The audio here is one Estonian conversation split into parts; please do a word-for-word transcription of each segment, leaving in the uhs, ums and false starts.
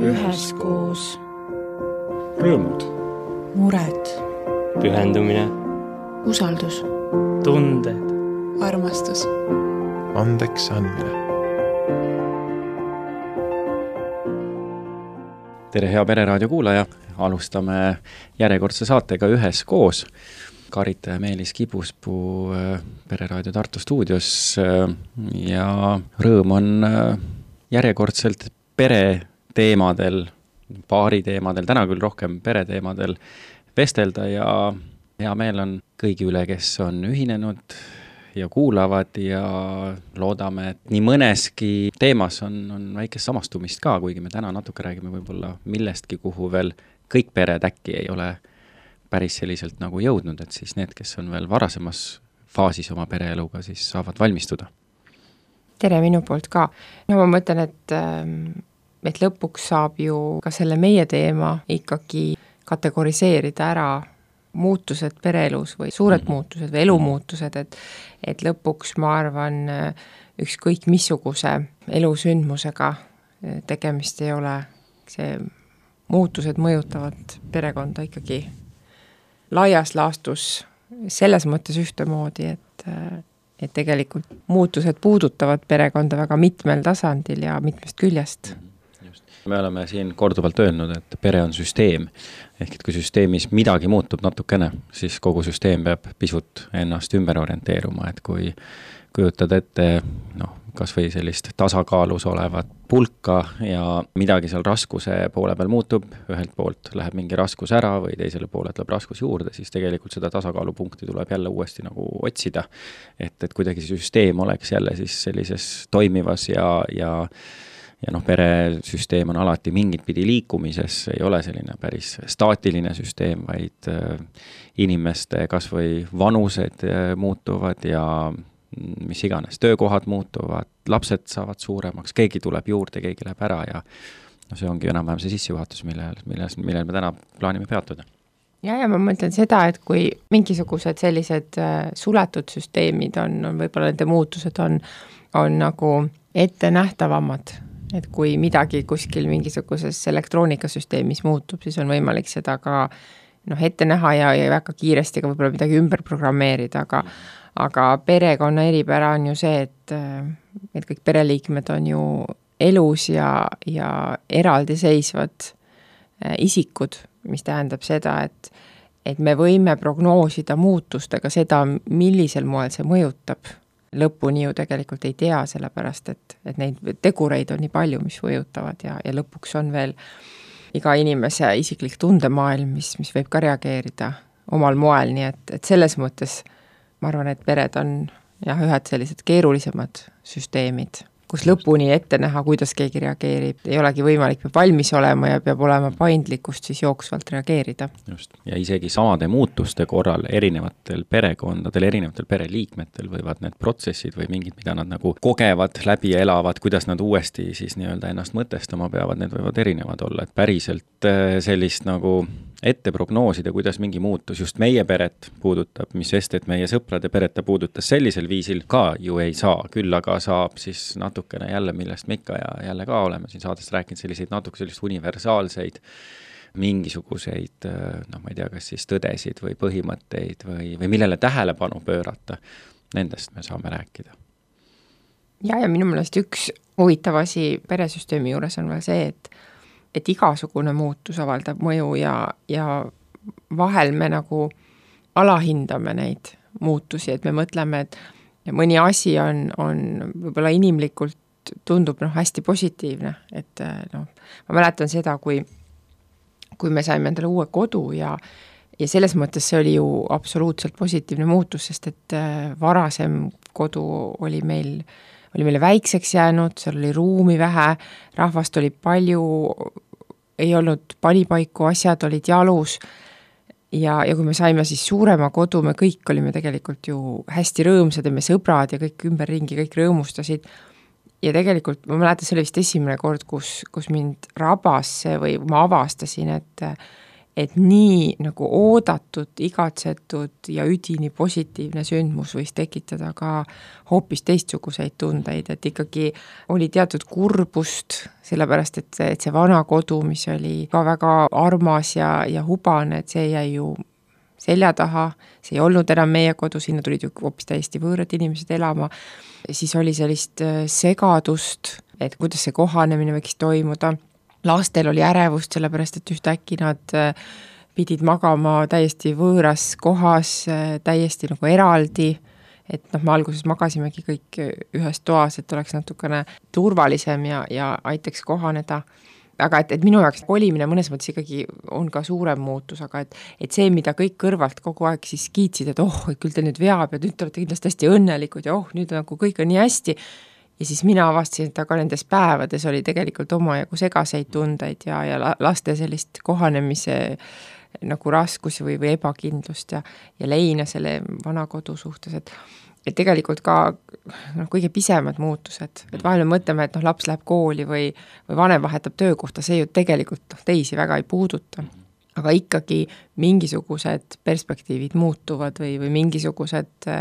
üheskoos. Rõõmud. Mured. Pühendumine. Usaldus. Tunded. Armastus. Andeks andmine. Tere, hea Pereraadio kuulaja! Alustame järjekordse saatega Üheskoos. Karita ja Meelis Kibuspuu Pereraadio Tartu stuudios ja rõõm on järjekordselt pere teemadel, paari teemadel, täna küll rohkem pere teemadel vestelda ja hea meel on kõigi üle, kes on ühinenud ja kuulavad ja loodame, et nii mõneski teemas on, on väikest samastumist ka, kuigi me täna natuke räägime võib-olla millestki, kuhu veel kõik pered äkki ei ole päris selliselt nagu jõudnud, et siis need, kes on veel varasemas faasis oma pereeluga, siis saavad valmistuda. Tere minu poolt ka. No ma mõtlen, et, et lõpuks saab ju ka selle meie teema ikkagi kategoriseerida ära muutused pereelus või suured mm-hmm. muutused või elumuutused, et, et lõpuks ma arvan ükskõik missuguse elusündmusega tegemist ei ole. See muutused mõjutavad perekonda ikkagi laias laastus selles mõttes ühtemoodi, et, et tegelikult muutused puudutavad perekonda väga mitmel tasandil ja mitmest küljest. Me oleme siin korduvalt öelnud, et pere on süsteem. Ehk et kui süsteemis midagi muutub natukene, siis kogu süsteem peab pisut ennast ümber orienteeruma. Et kui kujutad ette noh, kas või sellist tasakaalus olevat pulka ja midagi seal raskuse poole peal muutub, ühelt poolt läheb mingi raskus ära või teisele poole tuleb raskus juurde, siis tegelikult seda tasakaalupunkti tuleb jälle uuesti nagu otsida. Et, et kuidagi süsteem oleks jälle siis sellises toimivas ja, ja Ja noh, peresüsteem on alati mingit pidi liikumises, ei ole selline päris staatiline süsteem, vaid inimeste kas või vanused muutuvad ja mis iganes, töökohad muutuvad, lapsed saavad suuremaks, keegi tuleb juurde, keegi läheb ära ja no see ongi enam-vähem see sissejuhatus, millel, millel, millel me täna plaanime peatuda. Ja, ja ma mõtlen seda, et kui mingisugused sellised suletud süsteemid on, on võib-olla nende muutused on, on nagu ette nähtavamad, et kui midagi kuskil mingisuguses elektroonikasüsteemis muutub, siis on võimalik seda ka noh, ette näha ja, ja väga kiiresti ka võib-olla midagi ümber programmeerida, aga, aga perekonna eripära on ju see, et, et kõik pereliikmed on ju elus ja, ja eraldiseisvad isikud, mis tähendab seda, et, et me võime prognoosida muutustega seda, millisel moel see mõjutab. Lõpuni ju tegelikult ei tea, sellepärast, et, et neid tegureid on nii palju, mis mõjutavad ja, ja lõpuks on veel iga inimese isiklik tundemaailm, mis, mis võib ka reageerida omal moel, nii et, et selles mõttes ma arvan, et pered on jah, ühed sellised keerulisemad süsteemid, kus lõpuni ette näha, kuidas keegi reageerib, ei olegi võimalik, peab valmis olema ja peab olema paindlikkust siis jooksvalt reageerida. Just. Ja isegi samade muutuste korral erinevatel perekondadel, erinevatel pereliikmetel võivad need protsessid või mingid, mida nad nagu kogevad, läbi elavad, kuidas nad uuesti siis nii-öelda ennast mõtestama peavad, need võivad erinevad olla, et päriselt sellist nagu ette prognoosida, kuidas mingi muutus just meie peret puudutab, mis sest, et meie sõprade pereta puudutas sellisel viisil ka ju ei saa, küll aga saab siis natukene jälle, millest me ikka ja jälle ka oleme siin saadest rääkinud selliseid natuke sellist universaalseid mingisuguseid, noh ma ei tea, kas siis tõdesid või põhimõtteid või, või millele tähelepanu pöörata, nendest me saame rääkida. Ja, ja minu meelest üks huvitav asi peresüsteemi juures on veel see, et et igasugune muutus avaldab mõju ja, ja vahel me nagu alahindame neid muutusi, et me mõtleme, et mõni asi on, on võib-olla inimlikult tundub noh, hästi positiivne, et noh, ma mäletan seda, kui, kui me saime endale uue kodu ja, ja selles mõttes see oli ju absoluutselt positiivne muutus, sest et varasem kodu oli meil oli meile väikseks jäänud, seal oli ruumi vähe, rahvast oli palju, ei olnud panipaiku, asjad olid jalus ja, ja kui me saime siis suurema kodu, me kõik olime tegelikult ju hästi rõõmsad ja me sõbrad ja kõik ümberringi, kõik rõõmustasid ja tegelikult ma mäletan, see oli vist esimene kord, kus, kus mind rabas see või ma avastasin, et et nii nagu oodatud, igatsetud ja üdini positiivne sündmus võis tekitada ka hoopis teistsuguseid tundeid, et ikkagi oli teatud kurbust, sellepärast et, et see vana kodu, mis oli ka väga armas ja, ja hubane, et see jäi ju selja taha, see ei olnud enam meie kodu, sinna tulid ju hoopis täiesti võõrad inimesed elama, siis oli sellist segadust, et kuidas see kohanemine võiks toimuda. Lastel oli ärevust, sellepärast et ühtäkki nad pidid magama täiesti võõras kohas, täiesti nagu eraldi, et noh, me alguses magasimegi kõik ühes toas, et oleks natukene turvalisem ja, ja aitaks kohaneda. Aga et, et minu jaoks kolimine mõnes mõttes ikkagi on ka suurem muutus, aga et, et see, mida kõik kõrvalt kogu aeg siis kiitsid, et oh, küll te nüüd veab ja nüüd te olete kindlasti hästi õnnelikud ja oh, nüüd nagu kõik on nii hästi. Ja siis mina avastasin, et aga nendes päevades oli tegelikult omajagu segaseid tundeid ja, ja laste sellist kohanemise nagu raskusi või, või ebakindlust ja, ja leina selle vana kodu suhtes, et, et tegelikult ka no, kõige pisemad muutused, et vahel me mõtleme, et noh, laps läheb kooli või, või vanem vahetab töökohta, see ju tegelikult noh, teisi väga ei puuduta. Aga ikkagi mingisugused perspektiivid muutuvad või, või mingisugused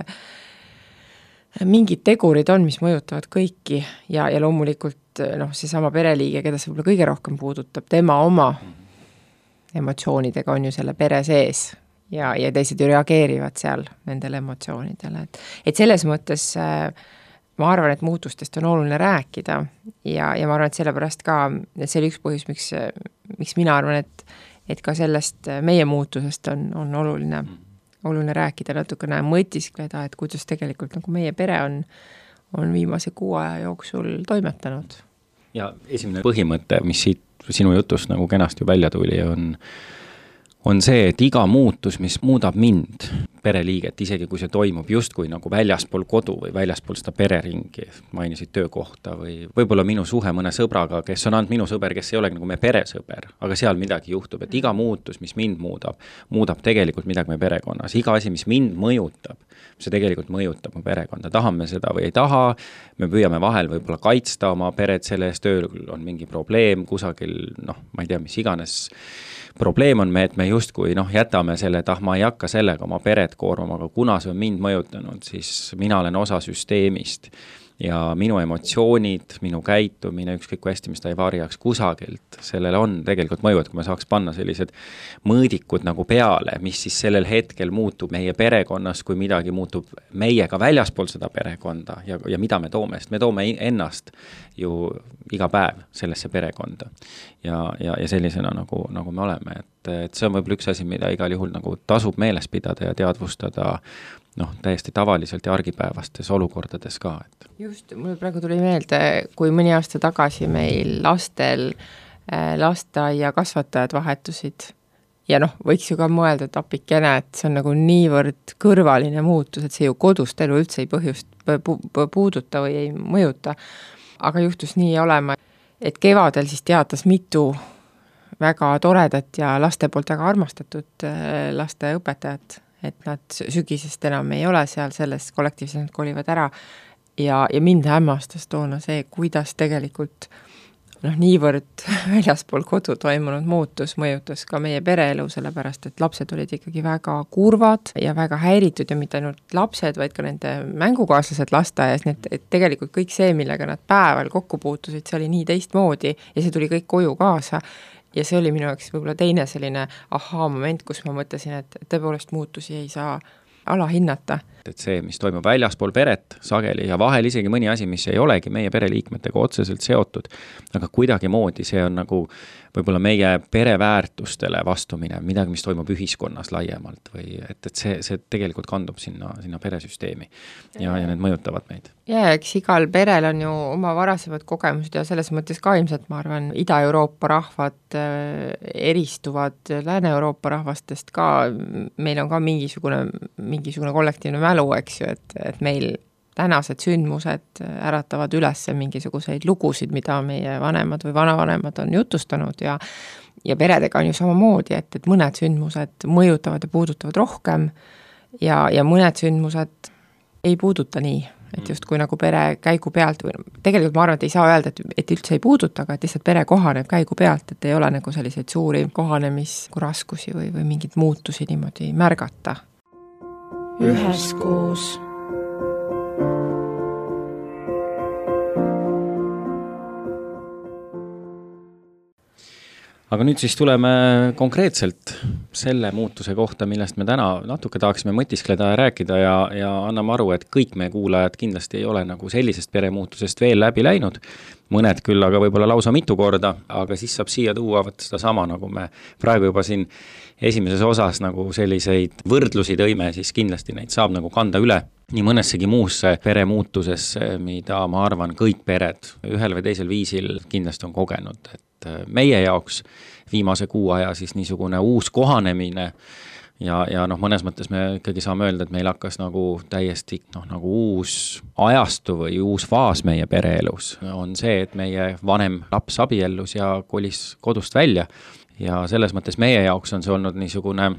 mingid tegurid on, mis mõjutavad kõiki ja, ja loomulikult noh, seesama pereliige, keda see võib-olla kõige rohkem puudutab, tema oma emotsioonidega on ju selle pere sees ja, ja teised ju reageerivad seal nendele emotsioonidele. Et, et selles mõttes ma arvan, et muutustest on oluline rääkida ja, ja ma arvan, et sellepärast ka, et see oli üks põhjus, miks, miks mina arvan, et, et ka sellest meie muutusest on, on oluline oluline rääkida, natukene mõtiskleda, et kuidas tegelikult nagu meie pere on, on viimase kuu aja jooksul toimetanud. Ja esimene põhimõte, mis siit sinu jutust nagu kenasti välja tuli, on, on see, et iga muutus, mis muudab mind, pereliiget, isegi kui see toimub justkui nagu väljaspool kodu või väljaspool seda pereringi, mainisid töökohta või võib-olla minu suhe mõne sõbraga, kes on ainult minu sõber, kes ei olegi nagu meie peresõber, aga seal midagi juhtub, et iga muutus, mis mind muudab, muudab tegelikult midagi meie perekonnas. Iga asi, mis mind mõjutab, see tegelikult mõjutab mu perekonda. Tahame seda või ei taha, me püüame vahel võib-olla kaitsta oma peret selle eest, tööl on mingi probleem kusagil, noh, ma ei tea, mis iganes probleem on me, et me justkui noh, jätame selle, et ah, ma ei hakka sellega oma peret koormama, aga kuna see on mind mõjutanud, siis mina olen osa süsteemist ja minu emotsioonid, minu käitumine, ükskõik kui hästi, mis ta ei varjaks kusagilt, sellele on tegelikult mõju, et kui me saaks panna sellised mõõdikud nagu peale, mis siis sellel hetkel muutub meie perekonnas, kui midagi muutub meiega väljaspool seda perekonda ja, ja mida me toome, sest me toome ennast ju iga päev sellesse perekonda ja, ja, ja sellisena nagu, nagu me oleme, et, et see on võib-olla üks asi, mida igal juhul nagu tasub meeles pidada ja teadvustada noh, täiesti tavaliselt ja argipäevastes olukordades ka. Et. Just, mul praegu tuli meelde, kui mõni aasta tagasi meil lastel äh, lasteaia kasvatajad vahetusid ja noh, võiks ju ka mõelda, et apikene, et see on nagu niivõrd kõrvaline muutus, et see ju kodust elu üldse ei põhjust pu puuduta või ei mõjuta. Aga juhtus nii olema, et kevadel siis teatas mitu väga toredat ja laste poolt väga armastatud äh, laste õpetajat, et nad sügisest enam ei ole seal selles kollektiivses, nad kolivad ära ja, ja mind hämmastas toona see, kuidas tegelikult noh, niivõrd väljaspool kodu toimunud muutus mõjutas ka meie pereelu, sellepärast et lapsed olid ikkagi väga kurvad ja väga häiritud ja mitte ainult lapsed, vaid ka nende mängukaaslased lasteaias, nii et, et tegelikult kõik see, millega nad päeval kokku puutusid, see oli nii teistmoodi ja see tuli kõik koju kaasa. Ja see oli minu jaoks võib-olla teine selline ahaa moment, kus ma mõtlesin, et tõepoolest muutusi ei saa alahinnata. Et see, mis toimub väljaspool peret sageli ja vahel isegi mõni asi, mis ei olegi meie pereliikmetega otseselt seotud, aga kuidagi moodi see on nagu võib-olla meie pereväärtustele vastumine, midagi, mis toimub ühiskonnas laiemalt või et, et see, see tegelikult kandub sinna, sinna peresüsteemi ja, ja need mõjutavad meid. Ja eks igal perel on ju oma varasemad kogemused ja selles mõttes ka ilmselt, ma arvan, Ida-Euroopa rahvad eristuvad Lääne-Euroopa rahvastest ka, meil on ka mingisugune, mingisugune kollektiivne mälu, eks ju, et, et meil tänased sündmused äratavad üles mingisuguseid lugusid, mida meie vanemad või vanavanemad on jutustanud ja, ja peredega on ju samamoodi, et, et mõned sündmused mõjutavad ja puudutavad rohkem ja, ja mõned sündmused ei puuduta nii, et justkui nagu pere käigu pealt või tegelikult ma arvan, et ei saa öelda, et, et üldse ei puuduta, aga et lihtsalt pere kohaneb käigu pealt, et ei ole nagu selliseid suuri kohanemisraskusi või, või mingeid muutusi niimoodi märgata. Üheskoos. Aga nüüd siis tuleme konkreetselt selle muutuse kohta, millest me täna natuke tahaksime mõtiskleda ja rääkida ja, ja anname aru, et kõik meie kuulajad kindlasti ei ole nagu sellisest peremuutusest veel läbi läinud. Mõned küll, aga võib-olla lausa mitu korda, aga siis saab siia tuua võtta seda sama, nagu me praegu juba siin esimeses osas nagu selliseid võrdlusi tõime, siis kindlasti neid saab nagu kanda üle nii mõnessegi muusse peremuutusesse, mida ma arvan kõik pered ühel või teisel viisil kindlasti on kogenud, et meie jaoks viimase kuu aja siis niisugune uus kohanemine ja, ja noh, mõnes mõttes me ikkagi saame öelda, et meil hakkas nagu täiesti noh, nagu uus ajastu või uus faas meie pereelus on see, et meie vanem laps abiellus ja kolis kodust välja ja selles mõttes meie jaoks on see olnud niisugune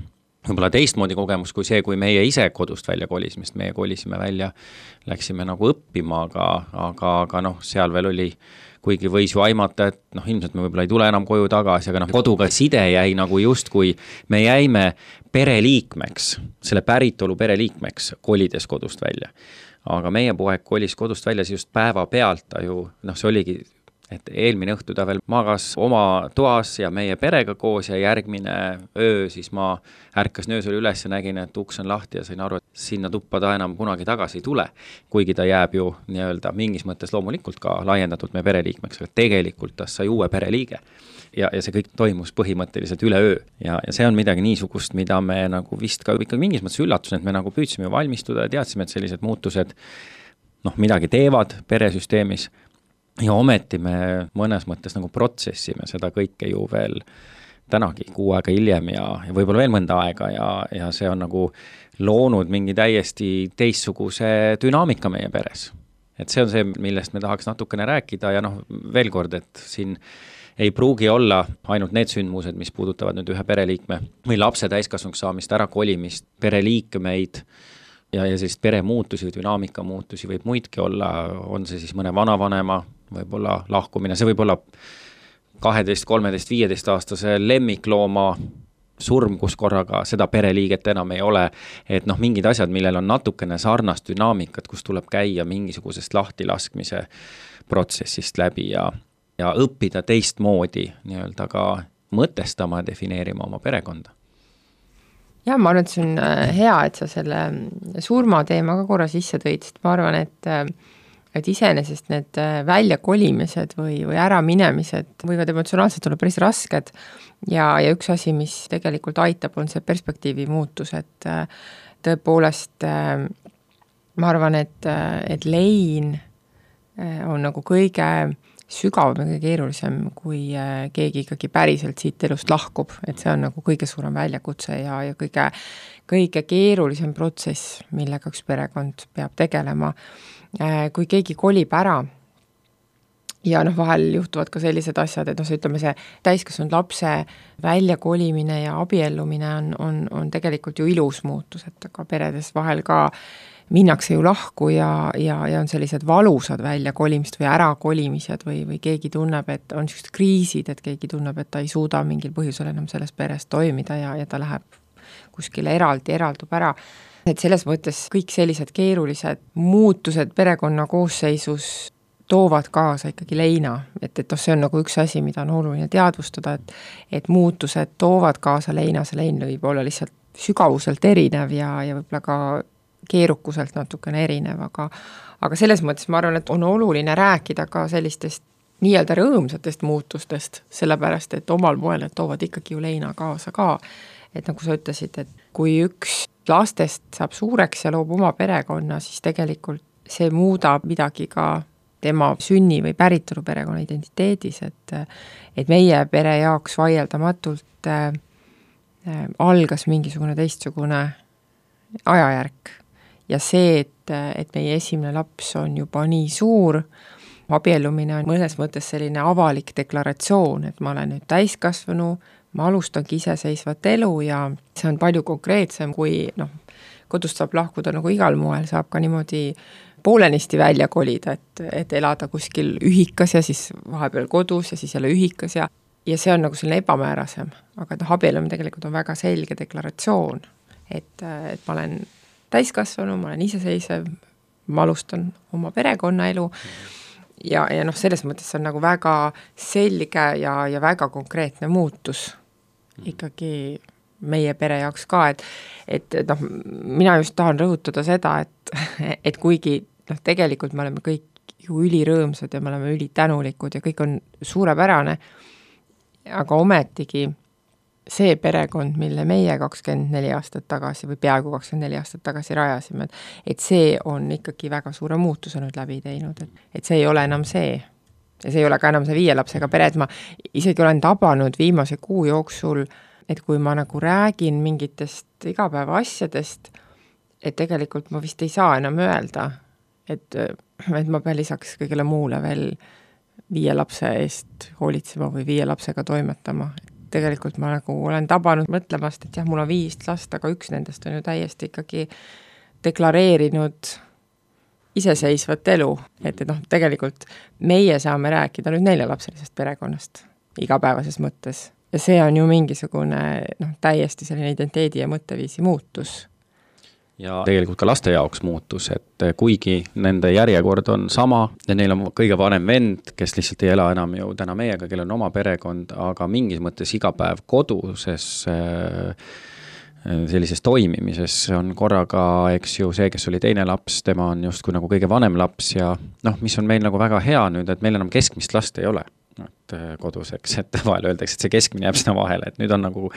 võib-olla teistmoodi kogemus kui see, kui meie ise kodust välja kolisime, sest meie kolisime välja, läksime nagu õppima, aga, aga, aga noh, seal veel oli kuigi võis ju aimata, et noh, ilmselt me võib-olla ei tule enam koju tagasi, aga noh, koduga side jäi nagu just, kui me jäime pereliikmeks, selle päritolu pereliikmeks kolides kodust välja. Aga meie poeg kolis kodust välja just päeva pealt, ta ju, noh, see oligi, et eelmine õhtu ta veel magas oma toas ja meie perega koos ja järgmine öö siis ma ärkas nöösel üles ja nägin, et uks on lahti ja sain aru, et sinna tuppa ta enam kunagi tagasi ei tule, kuigi ta jääb ju nii-öelda mingis mõttes loomulikult ka laiendatult meie pereliikmeks, aga tegelikult ta sai uue pereliige ja, ja see kõik toimus põhimõtteliselt üle öö ja, ja see on midagi niisugust, mida me nagu vist ka ikkagi mingis mõttes üllatus, et me nagu püüdsime valmistuda ja teadsime, et sellised muutused noh, midagi teevad peresüsteemis ja ometi me mõnes mõttes nagu protsessime seda kõike ju veel tänagi kuu aega hiljem ja, ja võib-olla veel mõnda aega ja, ja see on nagu loonud mingi täiesti teistsuguse dünaamika meie peres. Et see on see, millest me tahaks natukene rääkida ja noh, veel kord, et siin ei pruugi olla ainult need sündmused, mis puudutavad nüüd ühe pereliikme või lapse täiskasvanuks saamist, ära kolimist, pereliikmeid ja, ja sellist peremuutusi või dünaamika muutusi võib muidki olla, on see siis mõne vanavanema võib-olla lahkumine, see võib olla kaheteist, kolmeteist, viieteist aastase lemmiklooma surm, kus korraga seda pereliiget enam ei ole, et noh, mingid asjad, millel on natukene sarnast dünaamikat, kus tuleb käia mingisugusest lahtilaskmise protsessist läbi ja, ja õppida teistmoodi nii-öelda ka mõtestama ja defineerima oma perekonda. Ja ma arvan, et see on hea, et sa selle surmateema ka korra sisse tõid, sest ma arvan, et et iseenesest need väljakolimised või, või äraminemised võivad emotsionaalselt olla päris rasked ja, ja üks asi, mis tegelikult aitab, on see perspektiivi muutus, et tõepoolest ma arvan, et, et lein on nagu kõige sügavam ja kõige keerulisem, kui keegi ikkagi päriselt siit elust lahkub, et see on nagu kõige suurem väljakutse ja, ja kõige, kõige keerulisem protsess, millega üks perekond peab tegelema. Kui keegi kolib ära ja noh, vahel juhtuvad ka sellised asjad, et noh, see ütleme, see täiskasvanud lapse väljakolimine ja abiellumine on, on, on tegelikult ju ilus muutus, et aga peredes vahel ka minnakse ju lahku ja, ja, ja on sellised valusad väljakolimist või ärakolimised või, või keegi tunneb, et on sellised kriisid, et keegi tunneb, et ta ei suuda mingil põhjusel enam selles peres toimida ja, ja ta läheb kuskile eraldi, eraldub ära. Et selles mõttes kõik sellised keerulised muutused perekonna koosseisus toovad kaasa ikkagi leina, et, et noh, see on nagu üks asi, mida on oluline teadvustada, et, et muutused toovad kaasa leina, see lein võib olla lihtsalt sügavuselt erinev ja, ja võib-olla ka keerukuselt natukene erinev, aga, aga selles mõttes ma arvan, et on oluline rääkida ka sellistest nii-öelda rõõmsatest muutustest, sellepärast, et omal moel need toovad ikkagi ju leina kaasa ka, et nagu sa ütlesid, et kui üks lastest saab suureks ja loob oma perekonna, siis tegelikult see muudab midagi ka tema sünni või päritolu perekonna identiteedis, et, et meie pere jaoks vaieldamatult äh, algas mingisugune teistsugune ajajärk ja see, et, et meie esimene laps on juba nii suur, abiellumine on mõnes mõttes selline avalik deklaratsioon, et ma olen nüüd täiskasvanu, ma alustangi iseseisvat elu ja see on palju konkreetsem, kui noh, kodust saab lahkuda nagu igal moel, saab ka niimoodi poolenisti välja kolida, et, et elada kuskil ühikas ja siis vahepeal kodus ja siis jälle ühikas ja ja see on nagu selline ebamäärasem, aga noh, abielum tegelikult on väga selge deklaratsioon, et, et ma olen täiskasvanu, ma olen iseseisev, ma alustan oma perekonnaelu ja, ja noh, selles mõttes see on nagu väga selge ja, ja väga konkreetne muutus ikkagi meie pere jaoks ka, et, et noh, mina just tahan rõhutada seda, et, et kuigi noh, tegelikult me oleme kõik ju ülirõõmsad ja me oleme ülitänulikud ja kõik on suurepärane, aga ometigi see perekond, mille meie kakskümmend neli aastat tagasi või peaaegu kakskümmend neli aastat tagasi rajasime, et see on ikkagi väga suure muutuse nüüd läbi teinud, et, et see ei ole enam see. Ja see ei ole ka enam see viie lapsega pere, et ma isegi olen tabanud viimase kuu jooksul, et kui ma nagu räägin mingitest igapäeva asjadest, et tegelikult ma vist ei saa enam öelda, et, et ma pean lisaks kõigele muule veel viie lapse eest hoolitsema või viie lapsega toimetama. Tegelikult ma nagu olen tabanud mõtlemast, et jah, mul on viis last, aga üks nendest on ju täiesti ikkagi deklareerinud iseseisvat elu. Et, et noh, tegelikult meie saame rääkida nüüd neljalapselisest perekonnast igapäevases mõttes. Ja see on ju mingisugune noh, täiesti selline identiteedi ja mõtteviisi muutus. Ja tegelikult ka laste jaoks muutus, et kuigi nende järjekord on sama ja neil on kõige vanem vend, kes lihtsalt ei ela enam ju täna meiega, kellel on oma perekond, aga mingis mõttes iga päev koduses sellises toimimises on korraga, eks ju, see, kes oli teine laps, tema on justkui nagu kõige vanem laps ja noh, mis on meil nagu väga hea nüüd, et meil enam keskmist last ei ole. Et koduseks, et vahel öeldakse, et see keskmine jääb sinna vahele, et nüüd on nagu,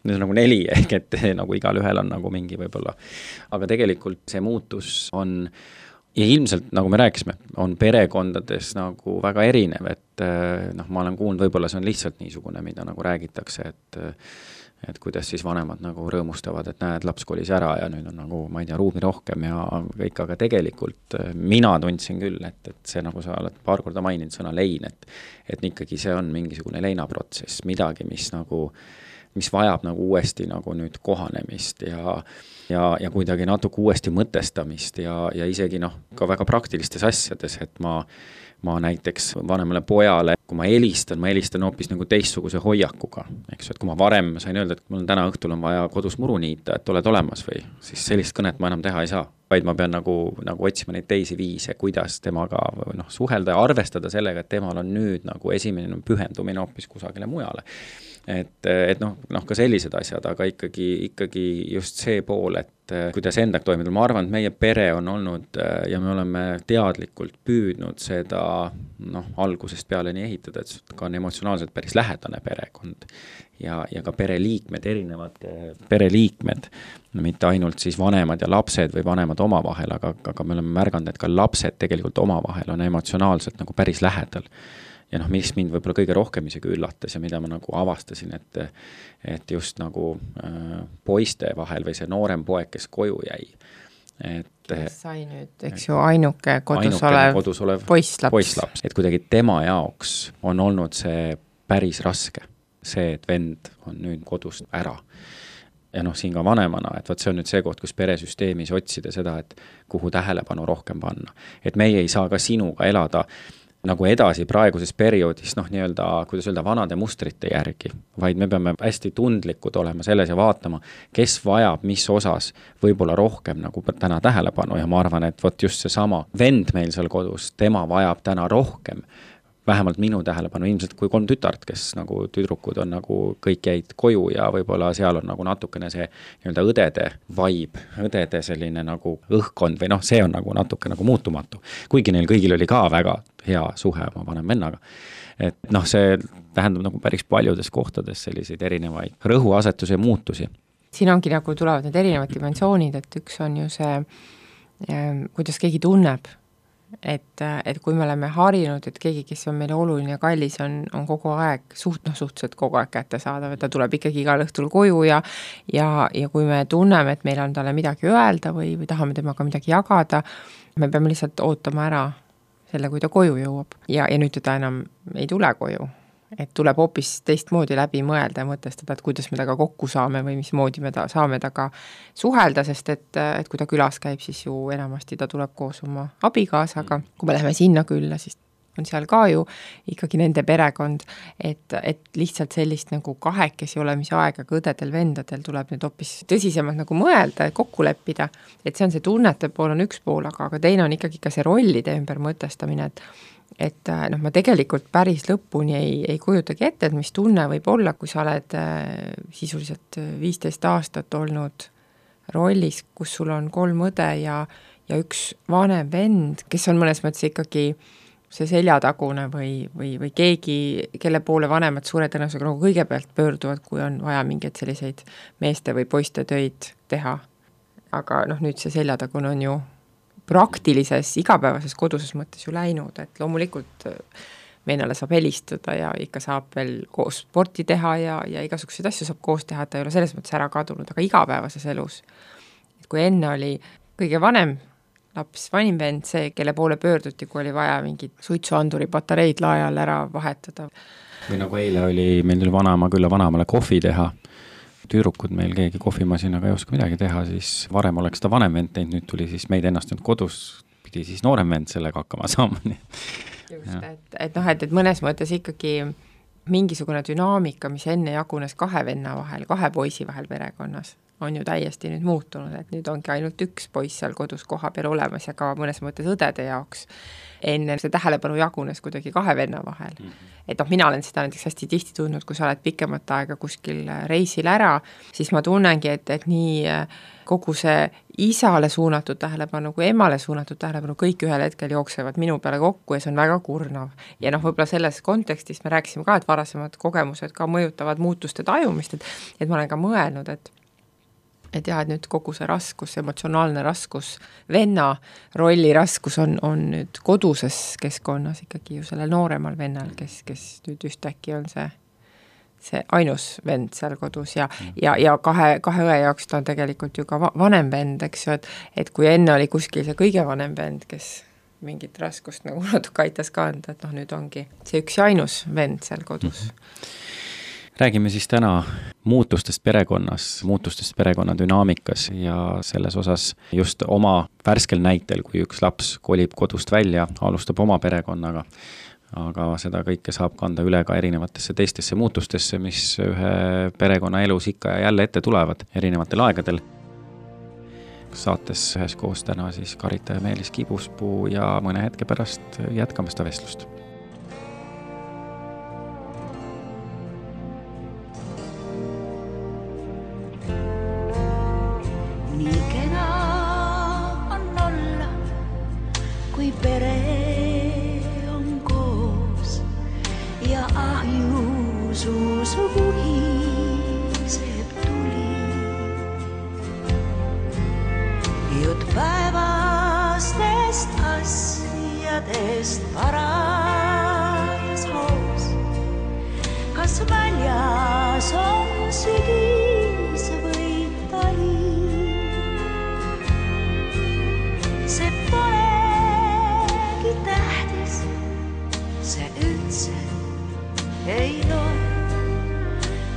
nüüd on nagu neli, ehk et nagu igal ühel on nagu mingi võib-olla. Aga tegelikult see muutus on, ja ilmselt, nagu me rääkisime, on perekondades nagu väga erinev, et noh, ma olen kuulnud, võib-olla see on lihtsalt niisugune, mida nagu räägitakse, et et kuidas siis vanemad nagu rõõmustavad, et näed, laps kolis ära ja nüüd on nagu, ma ei tea, ruumi rohkem ja kõik, aga tegelikult mina tundsin küll, et, et see nagu sa oled paar korda maininud sõna lein, et, et ikkagi see on mingisugune leinaprotsess, midagi, mis nagu, mis vajab nagu uuesti nagu nüüd kohanemist ja, ja, ja kuidagi natuke uuesti mõtestamist ja, ja isegi noh, ka väga praktilistes asjades, et ma ma näiteks vanemale pojale, kui ma helistan, ma helistan hoopis nagu teistsuguse hoiakuga, eks, et kui ma varem sain öelda, et mul on täna õhtul on vaja kodus muru niita, et oled olemas või, siis sellist kõnet ma enam teha ei saa, vaid ma pean nagu, nagu otsima neid teisi viise, kuidas temaga noh, suhelda ja arvestada sellega, et temal on nüüd nagu esimene pühendumine hoopis kusagile mujale. Et, et noh, noh, ka sellised asjad, aga ikkagi, ikkagi just see pool, et kuidas endaga toimida. Ma arvan, et meie pere on olnud ja me oleme teadlikult püüdnud seda noh, algusest peale nii ehitada, et ka on emotsionaalselt päris lähedane perekond ja, ja ka pereliikmed, erinevad pereliikmed, mitte ainult siis vanemad ja lapsed või vanemad omavahel, aga, aga me oleme märganud, et ka lapsed tegelikult omavahel on emotsionaalselt nagu päris lähedal. Ja noh, mis mind võib-olla kõige rohkem isegi üllatas ja mida ma nagu avastasin, et, et just nagu äh, poiste vahel või see noorem poeg, kes koju jäi. Et, kes sai nüüd, eks ju, ainuke kodus ainuke olev, kodus olev poisslaps. poisslaps. Et kuidagi tema jaoks on olnud see päris raske, see, et vend on nüüd kodust ära. Ja noh, siin ka vanemana, et võt see on nüüd see koht, kus peresüsteemis otsida seda, et kuhu tähelepanu rohkem panna. Et meie ei saa ka sinuga elada nagu edasi praeguses perioodis, noh nii-öelda, kuidas öelda, vanade mustrite järgi, vaid me peame hästi tundlikud olema selles ja vaatama, kes vajab mis osas võib-olla rohkem nagu täna tähelepanu ja ma arvan, et võt just see sama vend meil seal kodus, tema vajab täna rohkem, vähemalt minu tähelepanu, ilmselt kui kolm tütart, kes nagu tüdrukud on nagu kõik jäid koju ja võib-olla seal on nagu natukene see nii-öelda õdede vibe, õdede selline nagu õhkkond või noh, see on nagu natuke nagu muutumatu. Kuigi neil kõigil oli ka väga hea suhe oma vanem vennaga. Et noh, see tähendab nagu päris paljudes kohtades selliseid erinevaid rõhuasetusi ja muutusi. Siin ongi nagu tulevad need erinevad dimensioonid, et üks on ju see, kuidas keegi tunneb, et, et kui me oleme harinud, et keegi, kes on meile oluline ja kallis, on, on kogu aeg, suht, noh, suhteliselt kogu aeg kätte saadav, et ta tuleb ikkagi igal õhtul koju ja, ja, ja kui me tunneme, et meil on talle midagi öelda või, või tahame temaga midagi jagada, me peame lihtsalt ootama ära selle, kui ta koju jõuab. Ja, ja nüüd teda enam ei tule koju. et tuleb hoopis teistmoodi läbi mõelda ja mõtestada, et kuidas me taga kokku saame või mismoodi me ta, saame taga suhelda, sest et, et kui ta külas käib, siis ju enamasti ta tuleb koos oma abikaasaga, kui me läheme sinna külla, siis on seal ka ju ikkagi nende perekond, et, et lihtsalt sellist nagu kahekesi olemise aega ka õdedel vendadel tuleb nüüd hoopis tõsisemalt nagu mõelda ja kokku leppida, et see on see tunnete pool on üks pool, aga, aga teine on ikkagi ka see rollide ümber mõtestamine, et et noh, ma tegelikult päris lõpuni ei, ei kujutagi ette, et mis tunne võib olla, kui sa oled äh, sisuliselt viisteist aastat olnud rollis, kus sul on kolm õde ja, ja üks vanem vend, kes on mõnes mõttes ikkagi see seljatagune või, või, või keegi, kelle poole vanemad suure tõenäosusega nagu kõigepealt pöörduvad, kui on vaja mingeid selliseid meeste või poiste töid teha. Aga noh, nüüd see seljatagune on ju praktilises, igapäevases koduses mõttes ju läinud, et loomulikult vennale saab helistada ja ikka saab veel koos sporti teha ja, ja igasuguseid asju saab koos teha, et ta ei ole selles mõttes ära kadunud, aga igapäevases elus. Et kui enne oli kõige vanem laps, vanim vend, see, kelle poole pöörduti, kui oli vaja mingid suitsuanduri patareid laajal ära vahetada. Või nagu eile oli, meil tuli vanaema külla vanaemale kohvi teha, tüürukud meil keegi kohvimasinaga ei oska midagi teha, siis varem oleks ta vanem vend teinud, nüüd tuli siis meid ennast nüüd kodus, pidi siis noorem vend sellega hakkama saama. Just, et, et noh, et, et mõnes mõttes ikkagi mingisugune dünaamika, mis enne jagunes kahe venna vahel, kahe poisi vahel perekonnas, on ju täiesti nüüd muutunud, et nüüd ongi ainult üks poiss seal kodus koha peal olemas ja ka mõnes mõttes õdede jaoks. Enne see tähelepanu jagunes kuidagi kahe venna vahel. Mm-hmm. Et noh, mina olen seda näiteks hästi tihti tundnud, kui sa oled pikemat aega kuskil reisil ära, siis ma tunnengi, et, et nii kogu see isale suunatud tähelepanu kui emale suunatud tähelepanu kõik ühel hetkel jooksevad minu peale kokku ja see on väga kurnav. Ja noh, võib-olla selles kontekstis me rääkisime ka, et varasemad kogemused ka mõjutavad muutuste tajumist, et, et ma olen ka mõelnud, et et jah, et nüüd kogu see raskus, emotsionaalne raskus, venna rolli raskus on, on nüüd koduses keskkonnas ikkagi ju sellel nooremal vennal, kes, kes nüüd ühtäkki on see, see ainus vend seal kodus ja, ja, ja kahe, kahe õe jaoks ta on tegelikult ju ka vanem vend, eks ju, et, et kui enne oli kuskil see kõige vanem vend, kes mingit raskust nagu natuke aitas ka anda, et noh, nüüd ongi see üks ja ainus vend seal kodus. Mm-hmm. Räägime siis täna muutustest perekonnas, muutustest perekonna dünaamikas ja selles osas just oma värskel näitel, kui üks laps kolib kodust välja, alustab oma perekonnaga, aga seda kõike saab kanda üle ka erinevatesse teistesse muutustesse, mis ühe perekonna elus ikka ja jälle ette tulevad erinevatel aegadel. Saates üheskoos täna siis Karita ja Meelis Kibuspuu ja mõne hetke pärast jätkame seda vestlust. Pere on koos ja ahjusus vuhiseb tuli. Jutt päevastest asjadest paras hoos. Kas väljas on sügis või tali? See pole tähtis, see üldse ei loe.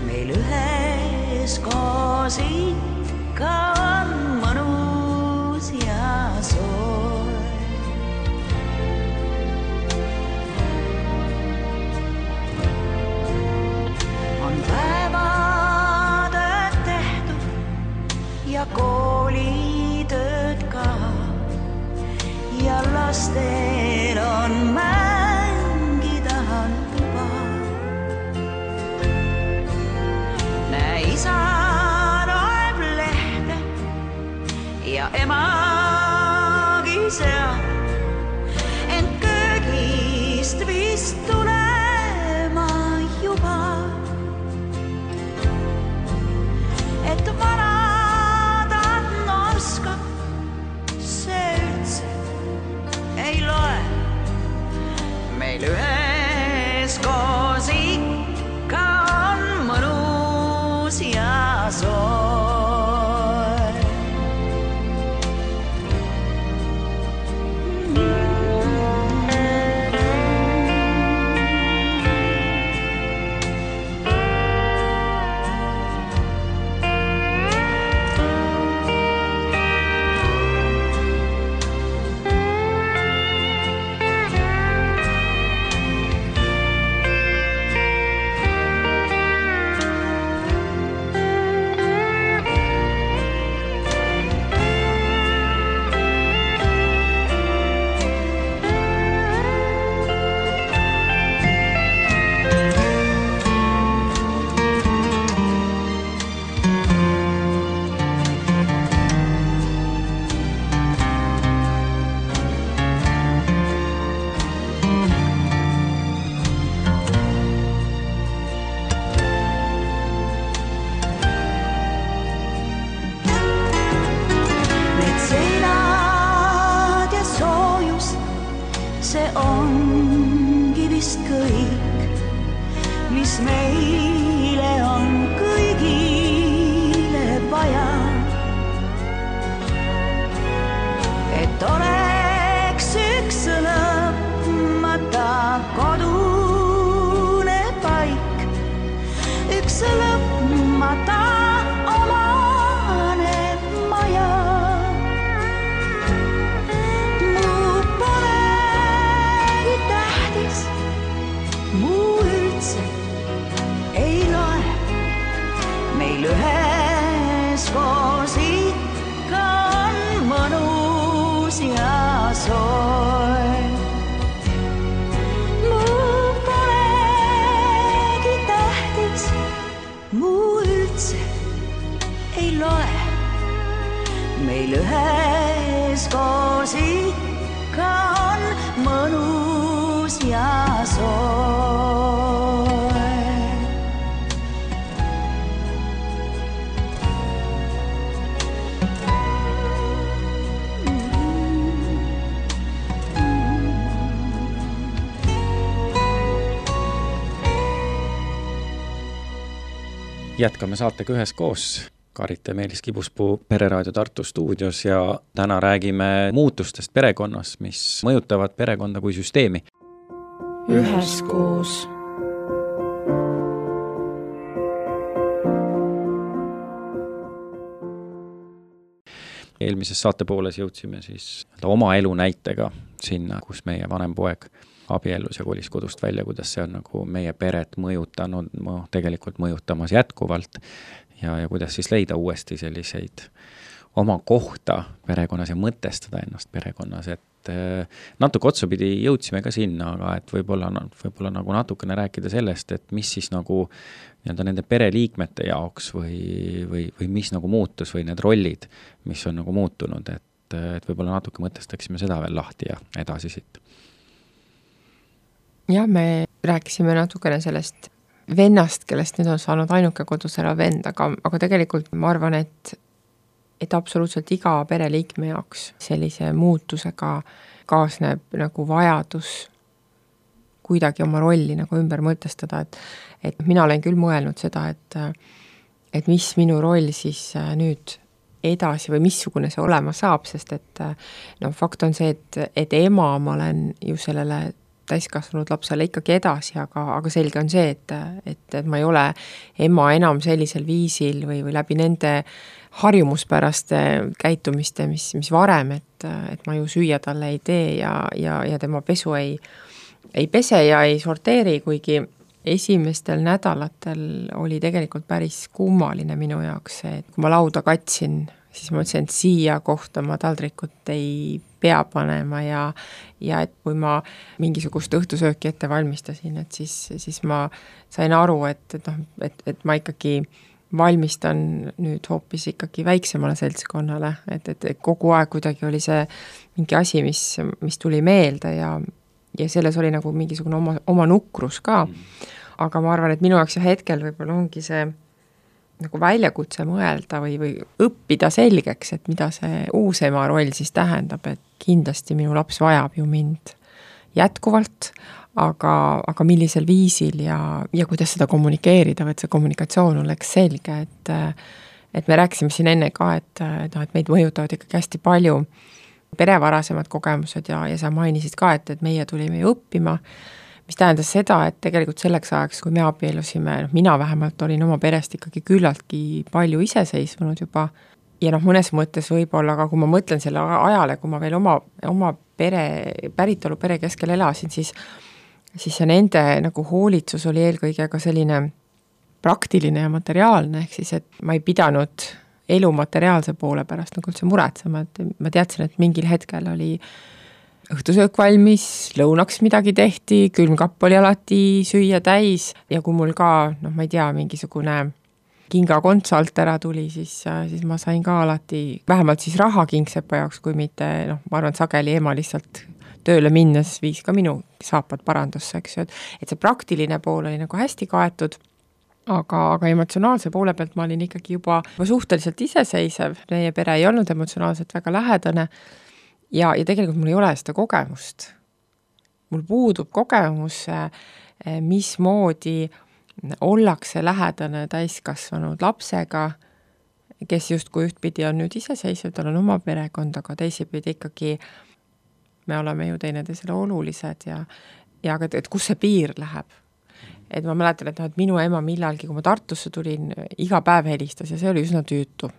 Meil üheskoos ikka on mõnus ja soe. On päevatööd tehtud ja koolitööd ka ja lastel on mängida tuba. Näe, isa loeb lehte mis meile on kõigile vaja. Et oleks üks lõpmata kodune paik, üks lõpmata omane maja. Muu polegi tähtis, muu üldse ei loe, meil ühes koos ikka on mõnus ja soe. Muu polegi tähtis, muu üldse ei loe, meil ühes koos ikka on mõnus ja soe. Jätkame saatega ühes koos. Karit ja Meelis Kibuspuu Pereraadio Tartu stuudios ja täna räägime muutustest perekonnas, mis mõjutavad perekonda kui süsteemi. Ühes koos. Eelmises saatepooles jõudsime siis oma elu näitega sinna, kus meie vanem poeg abiellus ja kolis kodust välja, kuidas see on nagu meie peret mõjutanud, tegelikult mõjutamas jätkuvalt ja, ja kuidas siis leida uuesti selliseid oma kohta perekonnas ja mõtestada ennast perekonnas, et natuke otsapidi jõudsime ka sinna, aga et võib-olla, võib-olla nagu natukene rääkida sellest, et mis siis nagu nii-öelda nende pereliikmete jaoks või, või, või mis nagu muutus või need rollid, mis on nagu muutunud, et, et võib-olla natuke mõtestaksime seda veel lahti ja edasi siit. Ja me rääkisime natukene sellest vennast, kellest nüüd on saanud ainuke kodus ära vend, aga, aga tegelikult ma arvan, et, et absoluutselt iga pereliikme jaoks sellise muutusega kaasneb nagu vajadus kuidagi oma rolli nagu ümber mõtestada, et, et mina olen küll mõelnud seda, et, et mis minu roll siis nüüd edasi või missugune see olema saab, sest et no, fakt on see, et, et ema ma olen ju sellele täiskasvanud lapsele ikkagi edasi, aga, aga selge on see, et, et, et ma ei ole ema enam sellisel viisil või, või läbi nende harjumuspäraste käitumiste, mis, mis varem, et, et ma ju süüa talle ei tee ja, ja, ja tema pesu ei, ei pese ja ei sorteeri, kuigi esimestel nädalatel oli tegelikult päris kummaline minu jaoks see, et kui ma lauda katsin, siis ma mõtlesin, et siia kohta ma taldrikut ei pea panema ja, ja et kui ma mingisugust õhtusööki ette valmistasin, et siis, siis ma sain aru, et, et, noh, et, et ma ikkagi valmistan nüüd hoopis ikkagi väiksemale seltskonnale, et, et kogu aeg kuidagi oli see mingi asi, mis, mis tuli meelde ja, ja selles oli nagu mingisugune oma, oma nukrus ka. Aga ma arvan, et minu jaoks hetkel võib-olla ongi see nagu väljakutse mõelda või, või õppida selgeks, et mida see uus ema roll siis tähendab, et kindlasti minu laps vajab ju mind jätkuvalt, aga, aga millisel viisil ja, ja kuidas seda kommunikeerida, või et see kommunikatsioon oleks selge, et, et me rääkisime siin enne ka, et, et, et meid mõjutavad ikkagi hästi palju perevarasemad kogemused ja, ja sa mainisid ka, et, et meie tulime ju õppima, mis tähendas seda, et tegelikult selleks ajaks, kui me abiellusime, noh, mina vähemalt olin oma perest ikkagi küllaltki palju iseseisvunud juba ja noh, mõnes mõttes võib-olla, aga kui ma mõtlen selle ajale, kui ma veel oma, oma pere, päritolu pere keskel elasin, siis, siis see nende nagu hoolitsus oli eelkõige ka selline praktiline ja materiaalne, ehk siis, et ma ei pidanud elu materiaalse poole pärast nagu üldse muretsema, et ma teadsin, et mingil hetkel oli õhtusöök valmis, lõunaks midagi tehti, külmkapp oli alati süüa täis ja kui mul ka, noh ma ei tea, mingisugune kingakonts alt ära tuli, siis, siis ma sain ka alati vähemalt siis raha kingsepa jaoks, kui mitte, noh ma arvan, sageli ema lihtsalt tööle minnes viis ka minu saapad parandusse, eks ju, et, et see praktiline pool oli nagu hästi kaetud, aga, aga emotsionaalse poole pealt ma olin ikkagi juba, juba suhteliselt iseseisev, meie pere ei olnud emotsionaalselt väga lähedane, Ja, ja tegelikult mul ei ole seda kogemust. Mul puudub kogemus, mismoodi ollakse lähedane täiskasvanud lapsega, kes justkui ühtpidi on nüüd iseseisvad, tal on oma perekond, aga teisipidi ikkagi me oleme ju teineteisele olulised ja, ja aga, et kus see piir läheb. Et ma mäletan, et, no, et minu ema millalgi, kui ma Tartusse tulin, iga päev helistas ja see oli üsna tüütu.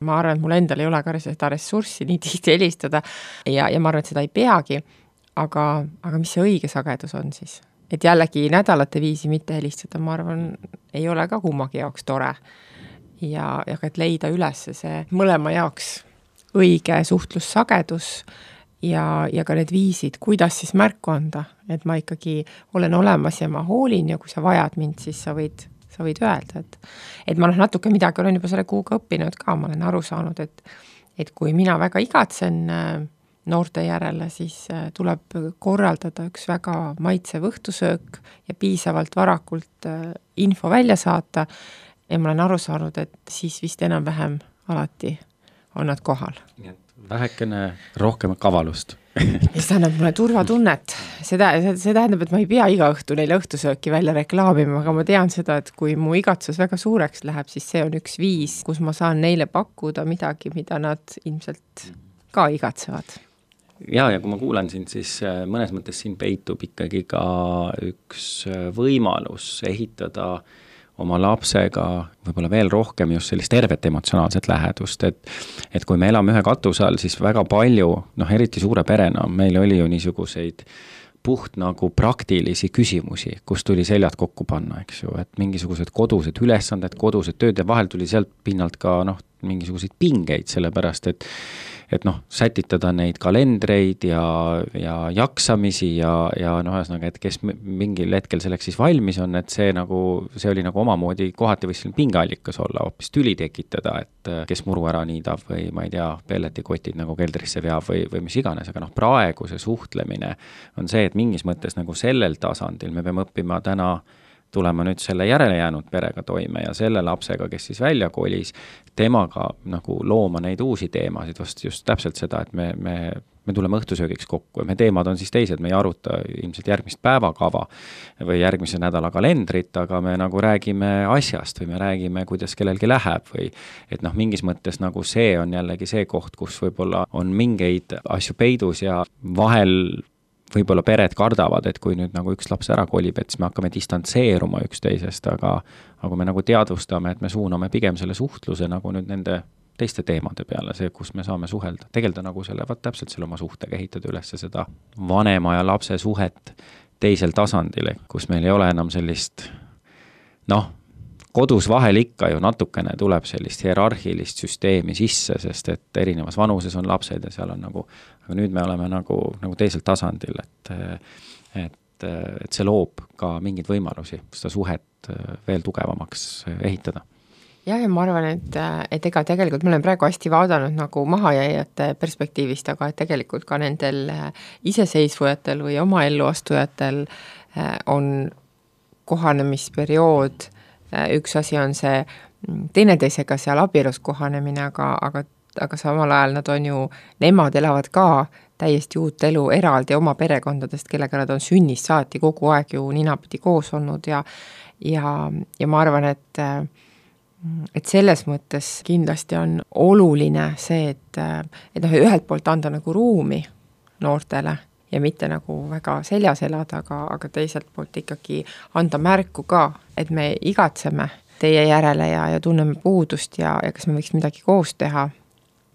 Ma arvan, et mul endal ei ole ka seda ressurssi nii tihti helistada ja, ja ma arvan, et seda ei peagi, aga, aga mis see õige sagedus on siis? Et jällegi nädalate viisi mitte helistada, ma arvan, ei ole ka kummagi jaoks tore. Ja, ja et leida üles see mõlema jaoks õige suhtlussagedus ja, ja ka need viisid, kuidas siis märku anda, et ma ikkagi olen olemas ja ma hoolin ja kui sa vajad mind, siis sa võid, sa võid öelda, et, et ma noh, natuke midagi olen juba selle kuuga õppinud ka, ma olen aru saanud, et, et kui mina väga igatsen noorte järele, siis tuleb korraldada üks väga maitsev õhtusöök ja piisavalt varakult info välja saata ja ma olen aru saanud, et siis vist enam-vähem alati on nad kohal. Vähekene rohkem kavalust. Ja see annab mulle turvatunnet. Seda, see tähendab, et ma ei pea iga õhtu neile õhtusööki välja reklaamima, aga ma tean seda, et kui mu igatsus väga suureks läheb, siis see on üks viis, kus ma saan neile pakkuda midagi, mida nad ilmselt ka igatsevad. Ja, ja kui ma kuulen sind, siis mõnes mõttes siin peitub ikkagi ka üks võimalus ehitada oma lapsega võib-olla veel rohkem just sellist tervet emotsionaalset lähedust, et, et kui me elame ühe katuse all, siis väga palju, noh eriti suure perena, meil oli ju niisuguseid puht nagu praktilisi küsimusi, kus tuli seljad kokku panna, eks ju, et mingisugused kodused ülesanded, kodused tööd ja vahel tuli sealt pinnalt ka noh, mingisuguseid pingeid, sellepärast et et noh, sätitada neid kalendreid ja, ja jaksamisi ja, ja noh, ühesõnaga, et kes mingil hetkel selleks siis valmis on, et see nagu, see oli nagu omamoodi kohati võis pingeallikas olla, hoopis tüli tekitada, et kes muru ära niidab või ma ei tea, pelletikotid nagu keldrisse veab või, või mis iganes, aga noh, praegu see suhtlemine on see, et mingis mõttes nagu sellel tasandil me peame õppima täna tulema nüüd selle järele jäänud perega toime ja selle lapsega, kes siis välja kolis, temaga nagu looma neid uusi teemasid, vast just täpselt seda, et me, me, me tuleme õhtusöögiks kokku ja me teemad on siis teised, me ei aruta ilmselt järgmist päevakava või järgmise nädala kalendrit, aga me nagu räägime asjast või me räägime, kuidas kellelgi läheb või et noh, mingis mõttes nagu see on jällegi see koht, kus võib-olla on mingeid asju peidus ja vahel võib-olla pered kardavad, et kui nüüd nagu üks laps ära kolib, et siis me hakkame distantseeruma üksteisest, aga, aga me nagu teadvustame, et me suuname pigem selle suhtluse nagu nüüd nende teiste teemade peale, see, kus me saame suhelda. Tegelda nagu selle, vaat täpselt selle oma suhtega, ehitada üles seda vanema ja lapse suhet teisel tasandil, kus meil ei ole enam sellist, noh, kodus vahel ikka ju natukene tuleb sellist hierarhilist süsteemi sisse, sest et erinevas vanuses on lapsed ja seal on nagu, aga nüüd me oleme nagu, nagu teisel tasandil, et, et, et see loob ka mingeid võimalusi seda suhet veel tugevamaks ehitada. Jah, ja ma arvan, et, et ega tegelikult me olen praegu hästi vaadanud nagu mahajäijate perspektiivist, aga et tegelikult ka nendel iseseisvujatel või oma elluastujatel on kohanemisperiood. Üks asi on see teineteisega seal abielus kohanemine, aga, aga, aga samal ajal nad on ju, nemad elavad ka täiesti uut elu eraldi oma perekondadest, kellega nad on sünnist saati kogu aeg ju ninapidi koos olnud ja, ja, ja ma arvan, et, et selles mõttes kindlasti on oluline see, et, et noh, ühelt poolt anda nagu ruumi noortele ja mitte nagu väga seljas elada, aga, aga teiselt poolt ikkagi anda märku ka, et me igatseme teie järele ja, ja tunneme puudust ja, ja kas me võiks midagi koos teha,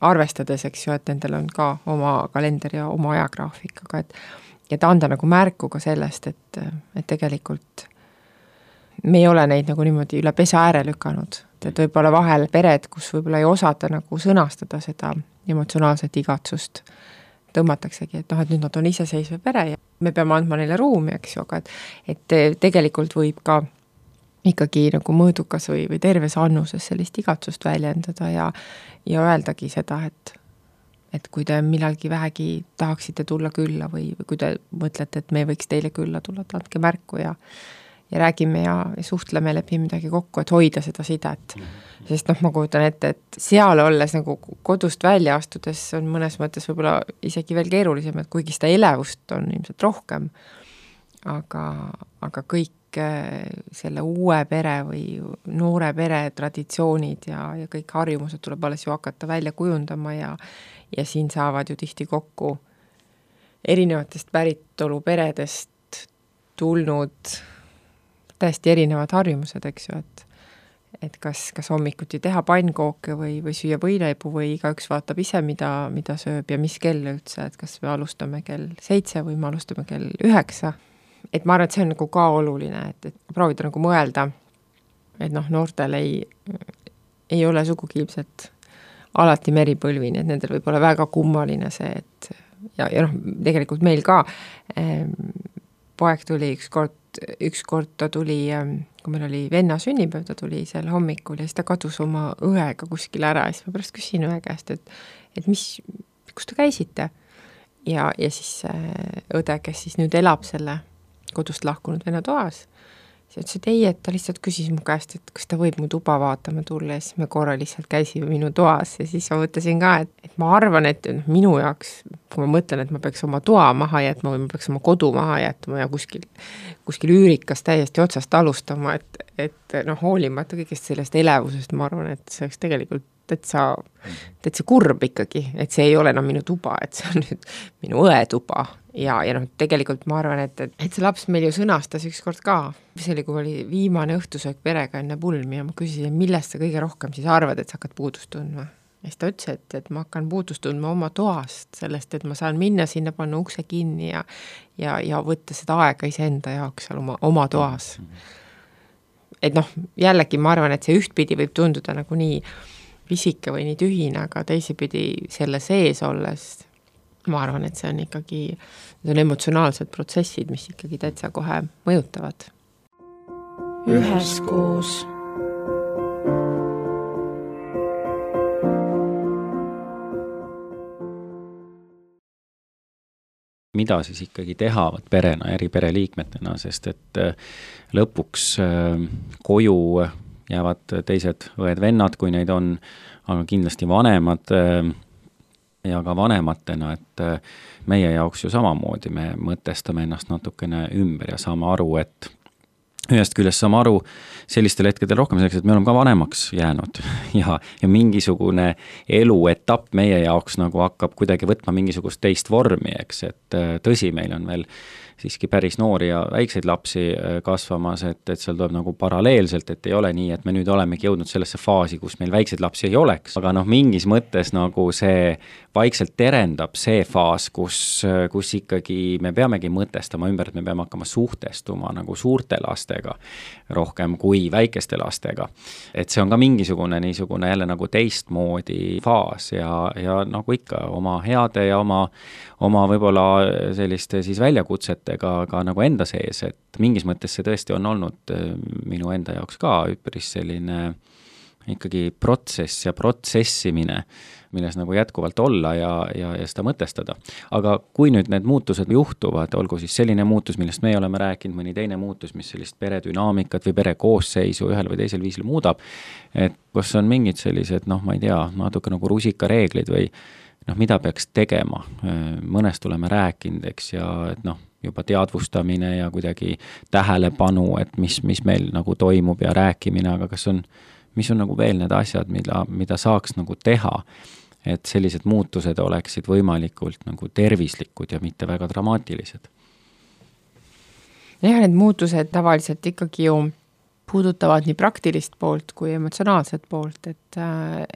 arvestades, eks ju, et nendel on ka oma kalender ja oma ajagraafik, aga et, et anda nagu märku ka sellest, et, et tegelikult me ei ole neid nagu niimoodi üle pesa ääre lükanud, et võib-olla vahel pered, kus võib-olla ei osata nagu sõnastada seda emotsionaalset igatsust, tõmmataksegi, et noh, et nüüd nad on iseseisva pere ja me peame andma neile ruumi, eks ju, aga et, et tegelikult võib ka ikkagi nagu mõõdukas või, või terves annuses sellist igatsust väljendada ja, ja öeldagi seda, et, et kui te millalgi vähegi tahaksite tulla külla või, või kui te mõtlete, et me võiks teile külla tulla, et andke märku ja, ja räägime ja, ja suhtleme, lepime midagi kokku, et hoida seda sidet. Sest noh, ma kujutan ette, et seal olles nagu kodust välja astudes on mõnes mõttes võib-olla isegi veel keerulisem, et kuigi seda elevust on ilmselt rohkem, aga, aga kõik kõik selle uue pere või noore pere traditsioonid ja, ja kõik harjumused tuleb alles ju hakata välja kujundama ja, ja siin saavad ju tihti kokku erinevatest päritolu peredest tulnud täiesti erinevad harjumused, eks ju, et et kas, kas hommikuti teha pannkooke või, või süüa võileibu või igaüks vaatab ise, mida, mida sööb ja mis kell üldse, et kas me alustame kell seitse või me alustame kell üheksa. Et ma arvan, et see on nagu ka oluline, et, et proovida nagu mõelda, et noh, noortel ei, ei ole sugugi ilmselt alati meripõlvini, et nendel võib olla väga kummaline see, et ja, ja noh, tegelikult meil ka ähm, poeg tuli üks kord, üks kord ta tuli, kui meil oli venna sünnipäev, ta tuli seal hommikul ja siis ta kadus oma õega kuskil ära ja siis ma pärast küsin õe käest, et, et mis, kus te käisite? Ja, ja siis õde, kes siis nüüd elab selle kodust lahkunud venna toas, siis ütles, et ei, et ta lihtsalt küsis mu käest, et kas ta võib mu tuba vaatama tulla ja siis me korra lihtsalt käisime minu toas ja siis ma mõtlesin ka, et, et ma arvan, et minu jaoks, kui ma mõtlen, et ma peaks oma toa maha jätma või ma peaks oma kodu maha jätma ja kuskil, kuskil üürikas täiesti otsast alustama, et, et noh, hoolimata kõigest sellest elevusest, ma arvan, et see oleks tegelikult täitsa, täitsa kurb ikkagi, et see ei ole enam minu tuba, et see on nüüd minu õe tuba ja, ja noh, tegelikult ma arvan, et, et, et see laps meil ju sõnastas ükskord ka, see oli, kui oli viimane õhtusöök perega enne pulmi ja ma küsisin, millest sa kõige rohkem siis arvad, et sa hakkad puudust tundma. Ja siis ta ütles, et, et ma hakkan puudust tundma oma toast, sellest, et ma saan minna sinna, panna ukse kinni ja, ja, ja võtta seda aega iseenda jaoks seal oma, oma toas. Et noh, jällegi ma arvan, et see ühtpidi võib tunduda nagu nii pisike või nii tühine, aga teisipidi selle sees olles ma arvan, et see on ikkagi, need on emotsionaalsed protsessid, mis ikkagi täitsa kohe mõjutavad. Üheskoos. Mida siis ikkagi teha perena, eri pereliikmetena, sest et lõpuks koju jäävad teised õed-vennad, kui neid on, aga kindlasti vanemad ja ka vanematena, et meie jaoks ju samamoodi me mõtestame ennast natukene ümber ja saame aru, et ühest küljest saame aru sellistel hetkedel rohkem selleks, et me oleme ka vanemaks jäänud ja, ja mingisugune eluetapp meie jaoks nagu hakkab kuidagi võtma mingisugust teist vormi, eks, et tõsi, meil on veel siiski päris noori ja väikseid lapsi kasvamas, et, et seal tuleb nagu paralleelselt, et ei ole nii, et me nüüd olemegi jõudnud sellesse faasi, kus meil väikseid lapsi ei oleks, aga noh, mingis mõttes nagu see vaikselt terendab see faas, kus, kus ikkagi me peamegi mõtestama ümber, et me peame hakkama suhtestuma nagu suurte lastega rohkem kui väikeste lastega. Et see on ka mingisugune niisugune jälle nagu teistmoodi faas ja, ja nagu ikka oma heade ja oma, oma võib-olla selliste siis väljakutsetega ka nagu enda sees, et mingis mõttes see tõesti on olnud minu enda jaoks ka üpris selline ikkagi protsess ja protsessimine, milles nagu jätkuvalt olla ja, ja, ja seda mõtestada. Aga kui nüüd need muutused juhtuvad, olgu siis selline muutus, millest me oleme rääkinud, mõni teine muutus, mis sellist peredünaamikat või pere koosseisu ühel või teisel viisil muudab, et kas on mingid sellised, noh, ma ei tea, natuke nagu rusikareeglid või noh, mida peaks tegema, mõnest oleme rääkinud, eks, ja et noh, juba teadvustamine ja kuidagi tähelepanu, et mis, mis meil nagu toimub ja rääkimine, aga kas on, mis on nagu veel need asjad, mida, mida saaks nagu teha, et sellised muutused oleksid võimalikult nagu tervislikud ja mitte väga dramaatilised? jah, need muutused tavaliselt ikkagi ju puudutavad nii praktilist poolt kui emotsionaalset poolt, et,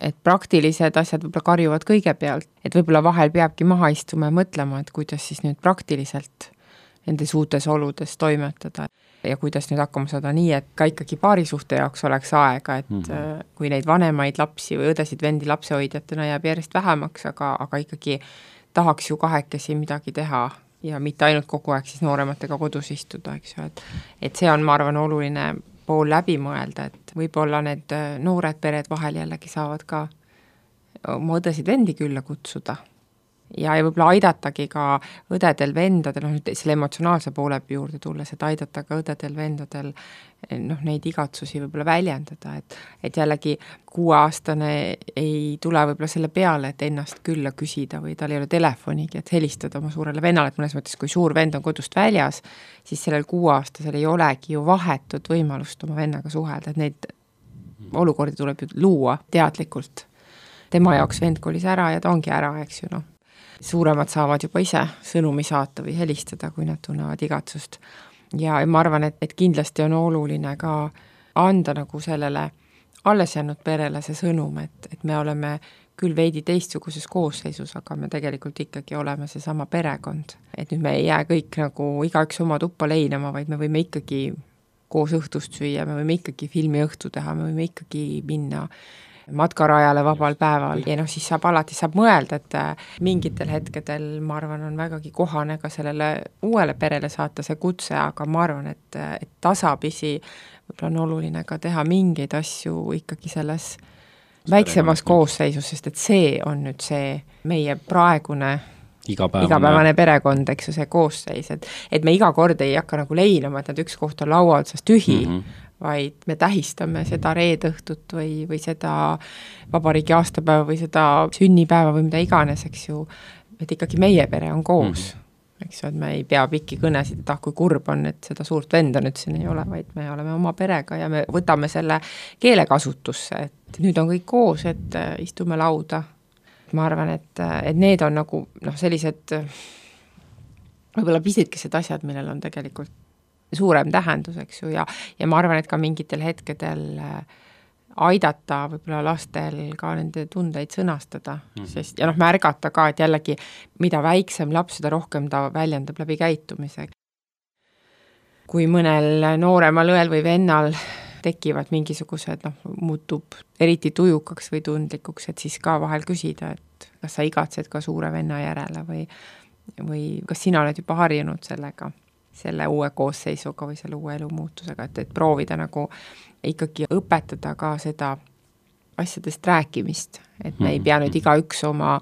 et praktilised asjad võib-olla karjuvad kõigepealt, et võib-olla vahel peabki maha istuma ja mõtlema, et kuidas siis nüüd praktiliselt nendes uutes oludes toimetada ja kuidas nüüd hakkama saada nii, et ka ikkagi paarisuhte jaoks oleks aega, et mm-hmm. kui neid vanemaid lapsi või õdesid vendi lapsehoidjatena jääb järjest vähemaks, aga, aga ikkagi tahaks ju kahekesi midagi teha ja mitte ainult kogu aeg siis noorematega kodus istuda, eks ju, et, et see on, ma arvan, oluline pool läbi mõelda, et võib-olla need noored pered vahel jällegi saavad ka oma õdesid vendi külla kutsuda ja, ja võib-olla aidatagi ka õdedel, vendadel, noh nüüd selle emotsionaalse poole juurde tulles, et aidata ka õdedel, vendadel noh, neid igatsusi võib-olla väljendada, et, et jällegi kuueaastane ei tule võib-olla selle peale, et ennast külla küsida või tal ei ole telefonigi, et helistada oma suurele vennale, et mõnes mõttes, kui suur vend on kodust väljas, siis sellel kuueaastasel ei olegi ju vahetut võimalust oma vennaga suhelda, et neid olukordi tuleb ju luua teadlikult. Tema jaoks vend kolis ära ja ta ongi ära, eks ju, noh. Suuremad saavad juba ise sõnumi saata või helistada, kui nad tunnevad igatsust. Ja ma arvan, et, et kindlasti on oluline ka anda nagu sellele alles jäänud perele see sõnum, et, et me oleme küll veidi teistsuguses koosseisus, aga me tegelikult ikkagi oleme see sama perekond. Et nüüd me ei jää kõik nagu igaüks oma tuppa leinama, vaid me võime ikkagi koos õhtust süüa, me võime ikkagi filmi õhtu teha, me võime ikkagi minna matkarajale vabal päeval ja noh, siis saab alati saab mõelda, et mingitel hetkedel, ma arvan, on vägagi kohane ka sellele uuele perele saata see kutse, aga ma arvan, et, et tasapisi võib-olla on oluline ka teha mingeid asju ikkagi selles väiksemas koosseisus, sest et see on nüüd see meie praegune igapäevane, igapäevane perekond, eks ju, see koosseis, et, et me iga kord ei hakka nagu leinama, et nad üks koht on laua otsas tühi, mm -hmm. vaid me tähistame seda reedõhtut või, või seda vabariigi aastapäeva või seda sünnipäeva või mida iganes, eks ju, et ikkagi meie pere on koos, mm. eks ju, et me ei pea pikki kõnesid, et ah, kui kurb on, et seda suurt venda nüüd siin ei ole, vaid me oleme oma perega ja me võtame selle keelekasutusse, et nüüd on kõik koos, et istume lauda. Ma arvan, et, et need on nagu noh, sellised võib-olla pisikesed asjad, millel on tegelikult suurem tähendus, eks ju, ja, ja ma arvan, et ka mingitel hetkedel aidata võib-olla lastel ka nende tundeid sõnastada, mm-hmm. sest, ja noh, märgata ka, et jällegi, mida väiksem laps, seda rohkem ta väljendab läbi käitumise. Kui mõnel nooremal õel või vennal tekivad mingisugused, noh, muutub eriti tujukaks või tundlikuks, et siis ka vahel küsida, et kas sa igatsed ka suure venna järele või, või kas sina oled juba harjunud sellega, selle uue koosseisuga või selle uue elumuutusega, et, et proovida nagu ikkagi õpetada ka seda asjadest rääkimist, et me ei pea nüüd igaüks oma,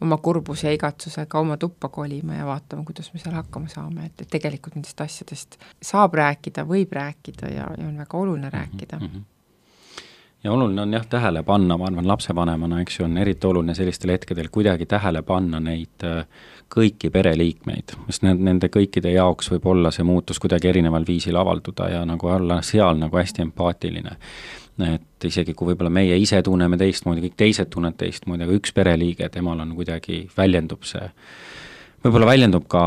oma kurbuse ja igatsusega oma tuppa kolima ja vaatama, kuidas me seal hakkama saame, et, et tegelikult nendest asjadest saab rääkida, võib rääkida ja, ja on väga oluline rääkida. Mm-hmm. Ja oluline on jah tähele panna, ma arvan lapsevanemana, eks ju, on eriti oluline sellistel hetkedel kuidagi tähele panna neid kõiki pereliikmeid, sest nende kõikide jaoks võib olla see muutus kuidagi erineval viisil avalduda ja nagu olla seal nagu hästi empaatiline. Et isegi kui võib-olla meie ise tunneme teistmoodi, kõik teised tunned teistmoodi, aga üks pereliige, temal on kuidagi väljendub see, võib-olla väljendub ka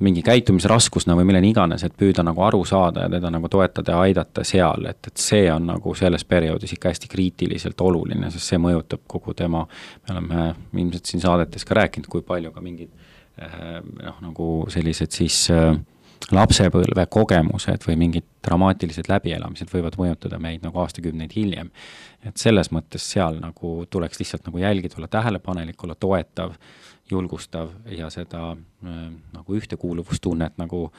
mingi käitumisraskusna või milline iganes, et püüda nagu aru saada ja teda nagu toetada ja aidata seal, et, et see on nagu selles perioodis ikka hästi kriitiliselt oluline, sest see mõjutab kogu tema, me oleme ilmselt siin saadetes ka rääkinud, kui palju ka mingid noh, nagu sellised siis lapsepõlve kogemused või mingid dramaatilised läbielamised võivad mõjutada meid nagu aastakümneid hiljem. Et selles mõttes seal nagu tuleks lihtsalt nagu jälgida, olla tähelepanelik, olla toetav, julgustav ja seda nagu ühtekuuluvustunnet nagu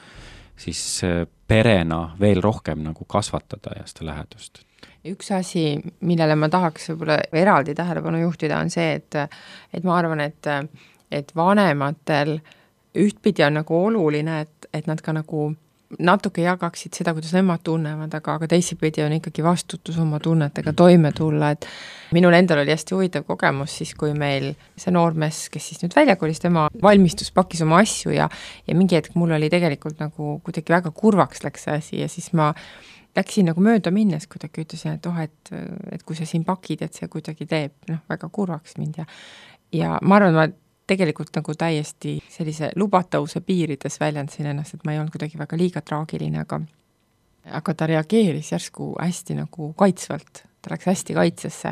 siis perena veel rohkem nagu kasvatada ja seda lähedust. Üks asi, millele ma tahaks võib-olla eraldi tähelepanu juhtida, on see, et, et ma arvan, et, et vanematel ühtpidi on nagu oluline, et, et nad ka nagu natuke jagaksid seda, kuidas nemad tunnevad, aga, aga teisipidi on ikkagi vastutus oma tunnetega toime tulla, et minul endal oli hästi huvitav kogemus siis, kui meil see noormees, kes siis nüüd väljakolis, tema valmistus, pakkis oma asju ja, ja mingi hetk mul oli tegelikult nagu kuidagi väga kurvaks läks see asi ja siis ma läksin nagu mööda minnes kuidagi ütlesin, et oh, et, et kui sa siin pakid, et see kuidagi teeb noh, väga kurvaks mind ja, ja ma arvan, ma tegelikult nagu täiesti sellise lubatavuse piirides väljendasin ennast, et ma ei olnud kuidagi väga liiga traagiline, aga, aga ta reageeris järsku hästi nagu kaitsvalt, ta läks hästi kaitsesse.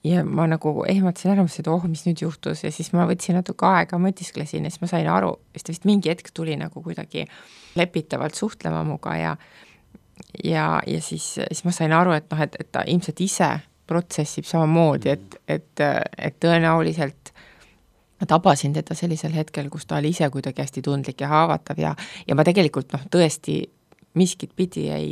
Ja ma nagu ehmatasin ära, et oh, mis nüüd juhtus ja siis ma võtsin natuke aega, mõtisklesin ja siis ma sain aru, sest ta vist mingi hetk tuli nagu kuidagi lepitavalt suhtlema muga ja, ja, ja siis, siis ma sain aru, et, noh, et, et ta ilmselt ise protsessib samamoodi, et, et, et tõenäoliselt ma tabasin teda sellisel hetkel, kus ta oli ise kuidagi hästi tundlik ja haavatav ja, ja ma tegelikult noh, tõesti miskit pidi ei,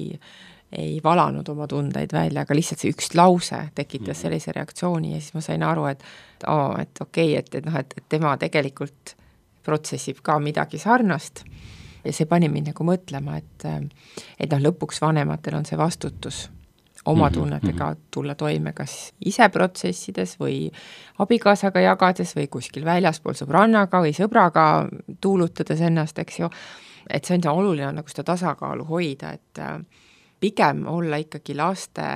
ei valanud oma tundeid välja, aga lihtsalt see üks lause tekitas sellise reaktsiooni ja siis ma sain aru, et oo, et okei, et, et, noh, et, et tema tegelikult protsessib ka midagi sarnast ja see pani mind nagu mõtlema, et, et noh, lõpuks vanematel on see vastutus oma tunnetega tulla toime kas ise protsessides või abikaasaga jagades või kuskil väljaspool sõbrannaga või sõbraga tuulutades ennast, eks ju, et see on oluline nagu seda tasakaalu hoida, et pigem olla ikkagi laste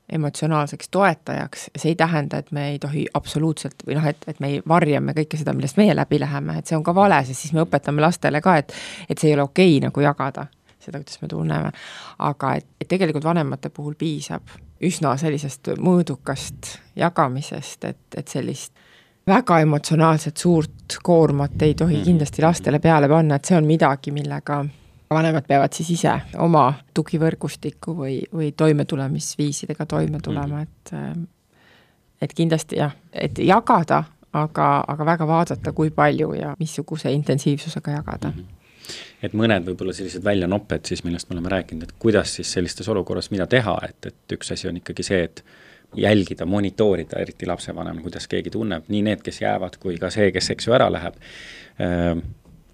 emotsionaalseks toetajaks, see ei tähenda, et me ei tohi absoluutselt või noh, et, et me ei varjame kõike seda, millest meie läbi läheme, et see on ka vale, sest siis me õpetame lastele ka, et, et see ei ole okei nagu jagada seda, kuidas me tunneme, aga et, et tegelikult vanemate puhul piisab üsna sellisest mõõdukast jagamisest, et, et sellist väga emotsionaalset suurt koormat ei tohi kindlasti lastele peale panna, et see on midagi, millega vanemad peavad siis ise oma tugivõrgustiku või, või toimetulemisviisidega toime tulema, et, et kindlasti jah, et jagada, aga, aga väga vaadata, kui palju ja missuguse intensiivsusega jagada. Et mõned võib-olla sellised väljanopped siis, millest me oleme rääkinud, et kuidas siis sellistes olukorras mida teha, et, et üks asi on ikkagi see, et jälgida, monitoorida, eriti lapsevanem, kuidas keegi tunneb, nii need, kes jäävad, kui ka see, kes eks ju ära läheb,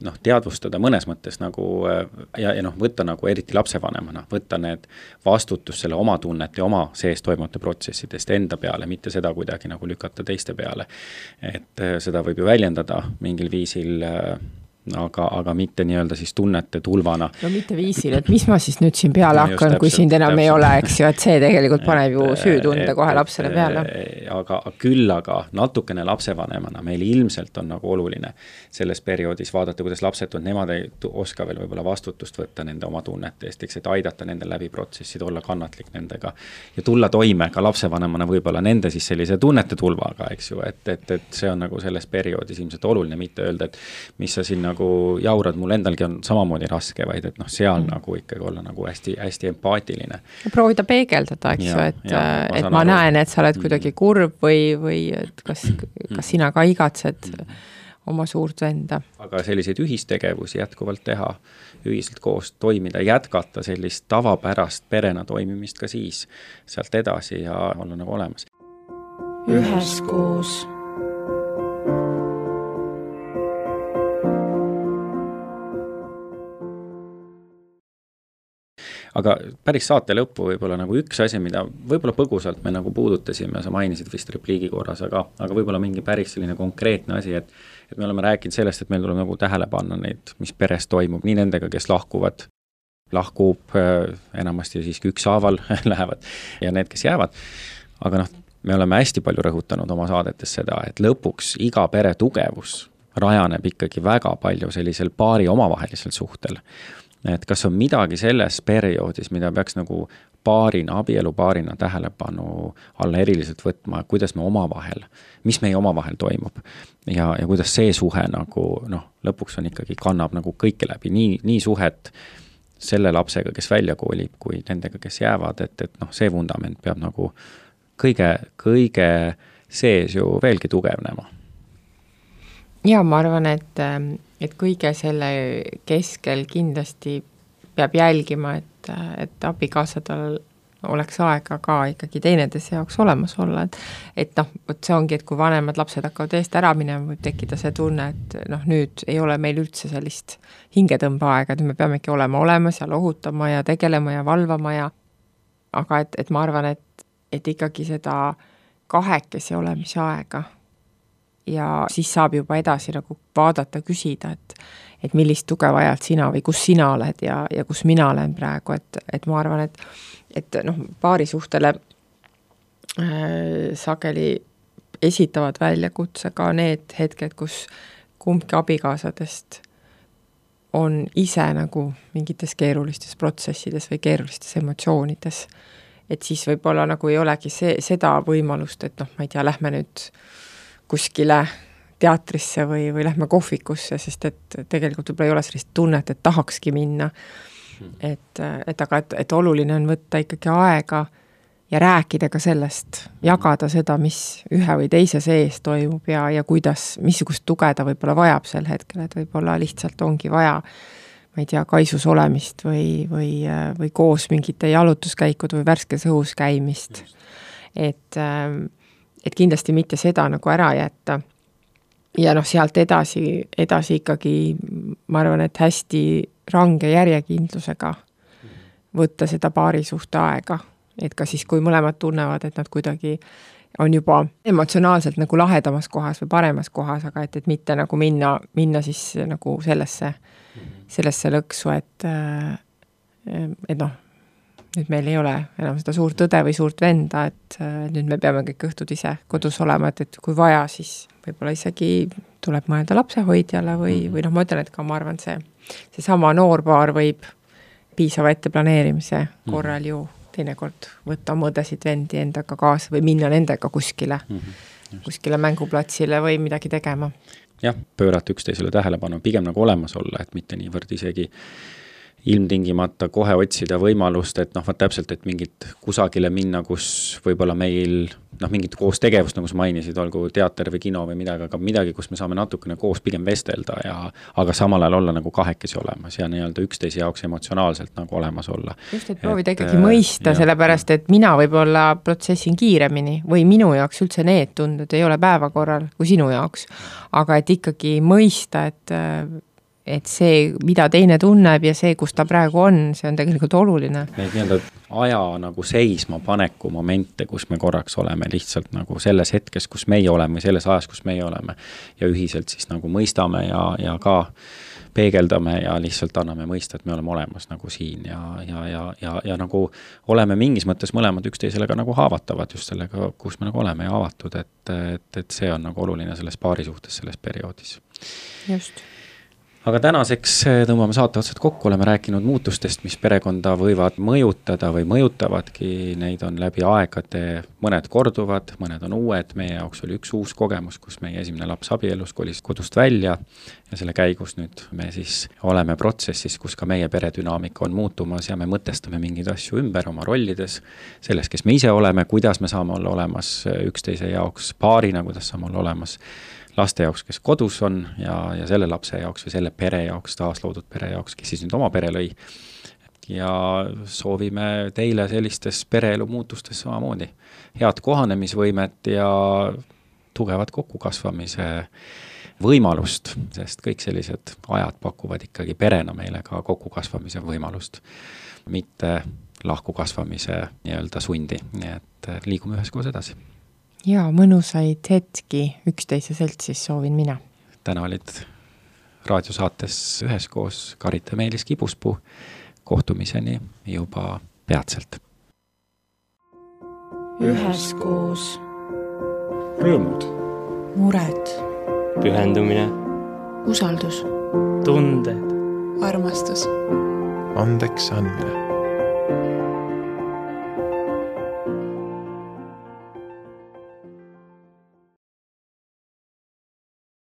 noh, teadvustada mõnes mõttes nagu ja, ja noh, võtta nagu eriti lapsevanemana, võtta need vastutus selle oma tunnet ja oma sees toimuvate protsessidest enda peale, mitte seda kuidagi nagu lükata teiste peale. Et seda võib ju väljendada mingil viisil aga, aga mitte nii-öelda siis tunnete tulvana. No mitte viisil, et mis ma siis nüüd siin peale no, hakkan, kui siin enam ei ole, eks ju, et see tegelikult paneb ju süütunde kohe lapsele peale. Aga küll aga natukene lapsevanemana meil ilmselt on nagu oluline selles perioodis vaadata, kuidas lapsed on, nemad ei oska veel võib-olla vastutust võtta nende oma tunnete eest, eks, et aidata nende läbi protsessid, olla kannatlik nendega ja tulla toime ka lapsevanemana võib-olla nende siis sellise tunnete tulvaga, eks ju, et, et, et see on nagu selles perioodis ilmselt oluline, mitte öelda, et mis sa siin nagu jaurad, mul endalgi on samamoodi raske, vaid et noh, seal mm. nagu ikkagi olla nagu hästi, hästi empaatiline. Proovida peegeldada, eks ju, et, ja, ma, et ma aru. näen, et sa oled kuidagi kurb või, või et kas, kas sina ka igatsed mm. oma suurt venda. Aga selliseid ühistegevusi jätkuvalt teha, ühiselt koos toimida, jätkata sellist tavapärast perena toimimist ka siis sealt edasi ja olla nagu olemas. Üheskoos. Aga päris saate lõppu võib-olla nagu üks asi, mida võib-olla põgusalt me nagu puudutasime, sa mainisid vist repliigi korras, aga, aga võib-olla mingi päris selline konkreetne asi, et, et me oleme rääkinud sellest, et meil tuleb nagu tähele panna neid, mis peres toimub, nii nendega, kes lahkuvad, lahkub enamasti siiski ükshaaval lähevad ja need, kes jäävad. Aga noh, me oleme hästi palju rõhutanud oma saadetes seda, et lõpuks iga pere tugevus rajaneb ikkagi väga palju sellisel paari omavahelisel suhtel. Et kas on midagi selles perioodis, mida peaks nagu paarina, abielu paarina tähelepanu alla eriliselt võtma, kuidas me omavahel, mis meie omavahel toimub ja, ja kuidas see suhe nagu noh, lõpuks on ikkagi kannab nagu kõike läbi, nii, nii suhet selle lapsega, kes välja koolib, kui nendega, kes jäävad, et, et noh, see vundament peab nagu kõige, kõige sees ju veelgi tugevnema. Ja ma arvan, et, et kõige selle keskel kindlasti peab jälgima, et, et abikaasadel oleks aega ka ikkagi teineteise jaoks olemas olla, et, et noh, see ongi, et kui vanemad lapsed hakkavad eest ära minema, võib tekkida see tunne, et noh, nüüd ei ole meil üldse sellist hingetõmbeaega, et me peamegi olema olemas ja lohutama ja tegelema ja valvama ja aga et, et ma arvan, et, et ikkagi seda kahekesi olemise aega ja siis saab juba edasi nagu vaadata, küsida, et, et millist tuge vajad sina või kus sina oled ja, ja kus mina olen praegu, et, et ma arvan, et, et noh, paari suhtele äh, sageli esitavad väljakutse ka need hetked, kus kumbki abikaasadest on ise nagu mingites keerulistes protsessides või keerulistes emotsioonides. Et siis võib-olla nagu ei olegi see, seda võimalust, et noh, ma ei tea, lähme nüüd kuskile teatrisse või, või lähme kohvikusse, sest et tegelikult võib-olla ei ole sellist tunnet, et tahakski minna. Et, et aga et, et oluline on võtta ikkagi aega ja rääkida ka sellest, jagada seda, mis ühe või teise sees toimub ja, ja kuidas, missugust tuge ta võib-olla vajab sel hetkel, et võib-olla lihtsalt ongi vaja ma ei tea, kaisus olemist või, või, või koos mingite jalutuskäikud või värskes õhus käimist. Et, et kindlasti mitte seda nagu ära jätta. Ja noh, sealt edasi, edasi ikkagi, ma arvan, et hästi range järjekindlusega võtta seda paari suhte aega. Et ka siis, kui mõlemad tunnevad, et nad kuidagi on juba emotsionaalselt nagu lahedamas kohas või paremas kohas, aga et, et mitte nagu minna, minna siis nagu sellesse, sellesse lõksu, et, et noh, nüüd meil ei ole enam seda suurt õde või suurt venda, et nüüd me peame kõik õhtud ise kodus olema, et, et kui vaja, siis võib-olla isegi tuleb mõelda lapsehoidjale või, või noh, ma ütlen, et ka ma arvan, see, see sama noorpaar võib piisava etteplaneerimise korral ju teinekord võtta mõõdesid vendi endaga kaasa või minna nendega kuskile, mm-hmm. kuskile mänguplatsile või midagi tegema. Jah, pöörata üksteisele tähelepanu, pigem nagu olemas olla, et mitte niivõrd isegi ilmtingimata kohe otsida võimalust, et noh, vaat täpselt, et mingit kusagile minna, kus võib-olla meil noh, mingit koos tegevust, nagu sa mainisid, olgu teater või kino või midagi, aga midagi, kus me saame natukene koos pigem vestelda ja aga samal ajal olla nagu kahekesi olemas ja nii-öelda üksteise jaoks emotsionaalselt nagu olemas olla. Just, et proovida ikkagi mõista, ja, sellepärast, et mina võib-olla protsessin kiiremini või minu jaoks üldse need tunded ei ole päevakorral kui sinu jaoks, aga et ikkagi mõista, et et see, mida teine tunneb ja see, kus ta praegu on, see on tegelikult oluline. Neid nii-öelda aja nagu seisma paneku momente, kus me korraks oleme lihtsalt nagu selles hetkes, kus meie oleme, selles ajas, kus meie oleme ja ühiselt siis nagu mõistame ja, ja ka peegeldame ja lihtsalt anname mõista, et me oleme olemas nagu siin ja, ja, ja, ja, ja nagu oleme mingis mõttes mõlemad üksteisele ka nagu haavatavad just sellega, kus me nagu oleme ja avatud, et, et, et see on nagu oluline selles paari suhtes selles perioodis. Just. Aga tänaseks tõmbame saate otsad kokku, oleme rääkinud muutustest, mis perekonda võivad mõjutada või mõjutavadki, neid on läbi aegade, mõned korduvad, mõned on uued, meie jaoks oli üks uus kogemus, kus meie esimene laps abielus kolis kodust välja ja selle käigus nüüd me siis oleme protsessis, kus ka meie peredünaamika on muutumas ja me mõtestame mingeid asju ümber oma rollides, selles, kes me ise oleme, kuidas me saame olla olemas üksteise jaoks paarina, kuidas saame olla olemas laste jaoks, kes kodus on ja, ja selle lapse jaoks või selle pere jaoks, taasloodud pere jaoks, kes siis nüüd oma pere lõi. Ja soovime teile sellistes pereelu muutustes samamoodi head kohanemisvõimet ja tugevat kokkukasvamise võimalust, sest kõik sellised ajad pakuvad ikkagi perena meile ka kokkukasvamise võimalust, mitte lahkukasvamise nii-öelda sundi, nii et liigume üheskoos edasi. Ja mõnusaid hetki üksteise seltsis soovin mina. Täna olid raadiosaates üheskoos Karita ja Meelis Kibuspuu. Kohtumiseni juba peatselt. Üheskoos. Rõõmud. Mured. Pühendumine. Usaldus. Tunded. Armastus. Andeks andmine.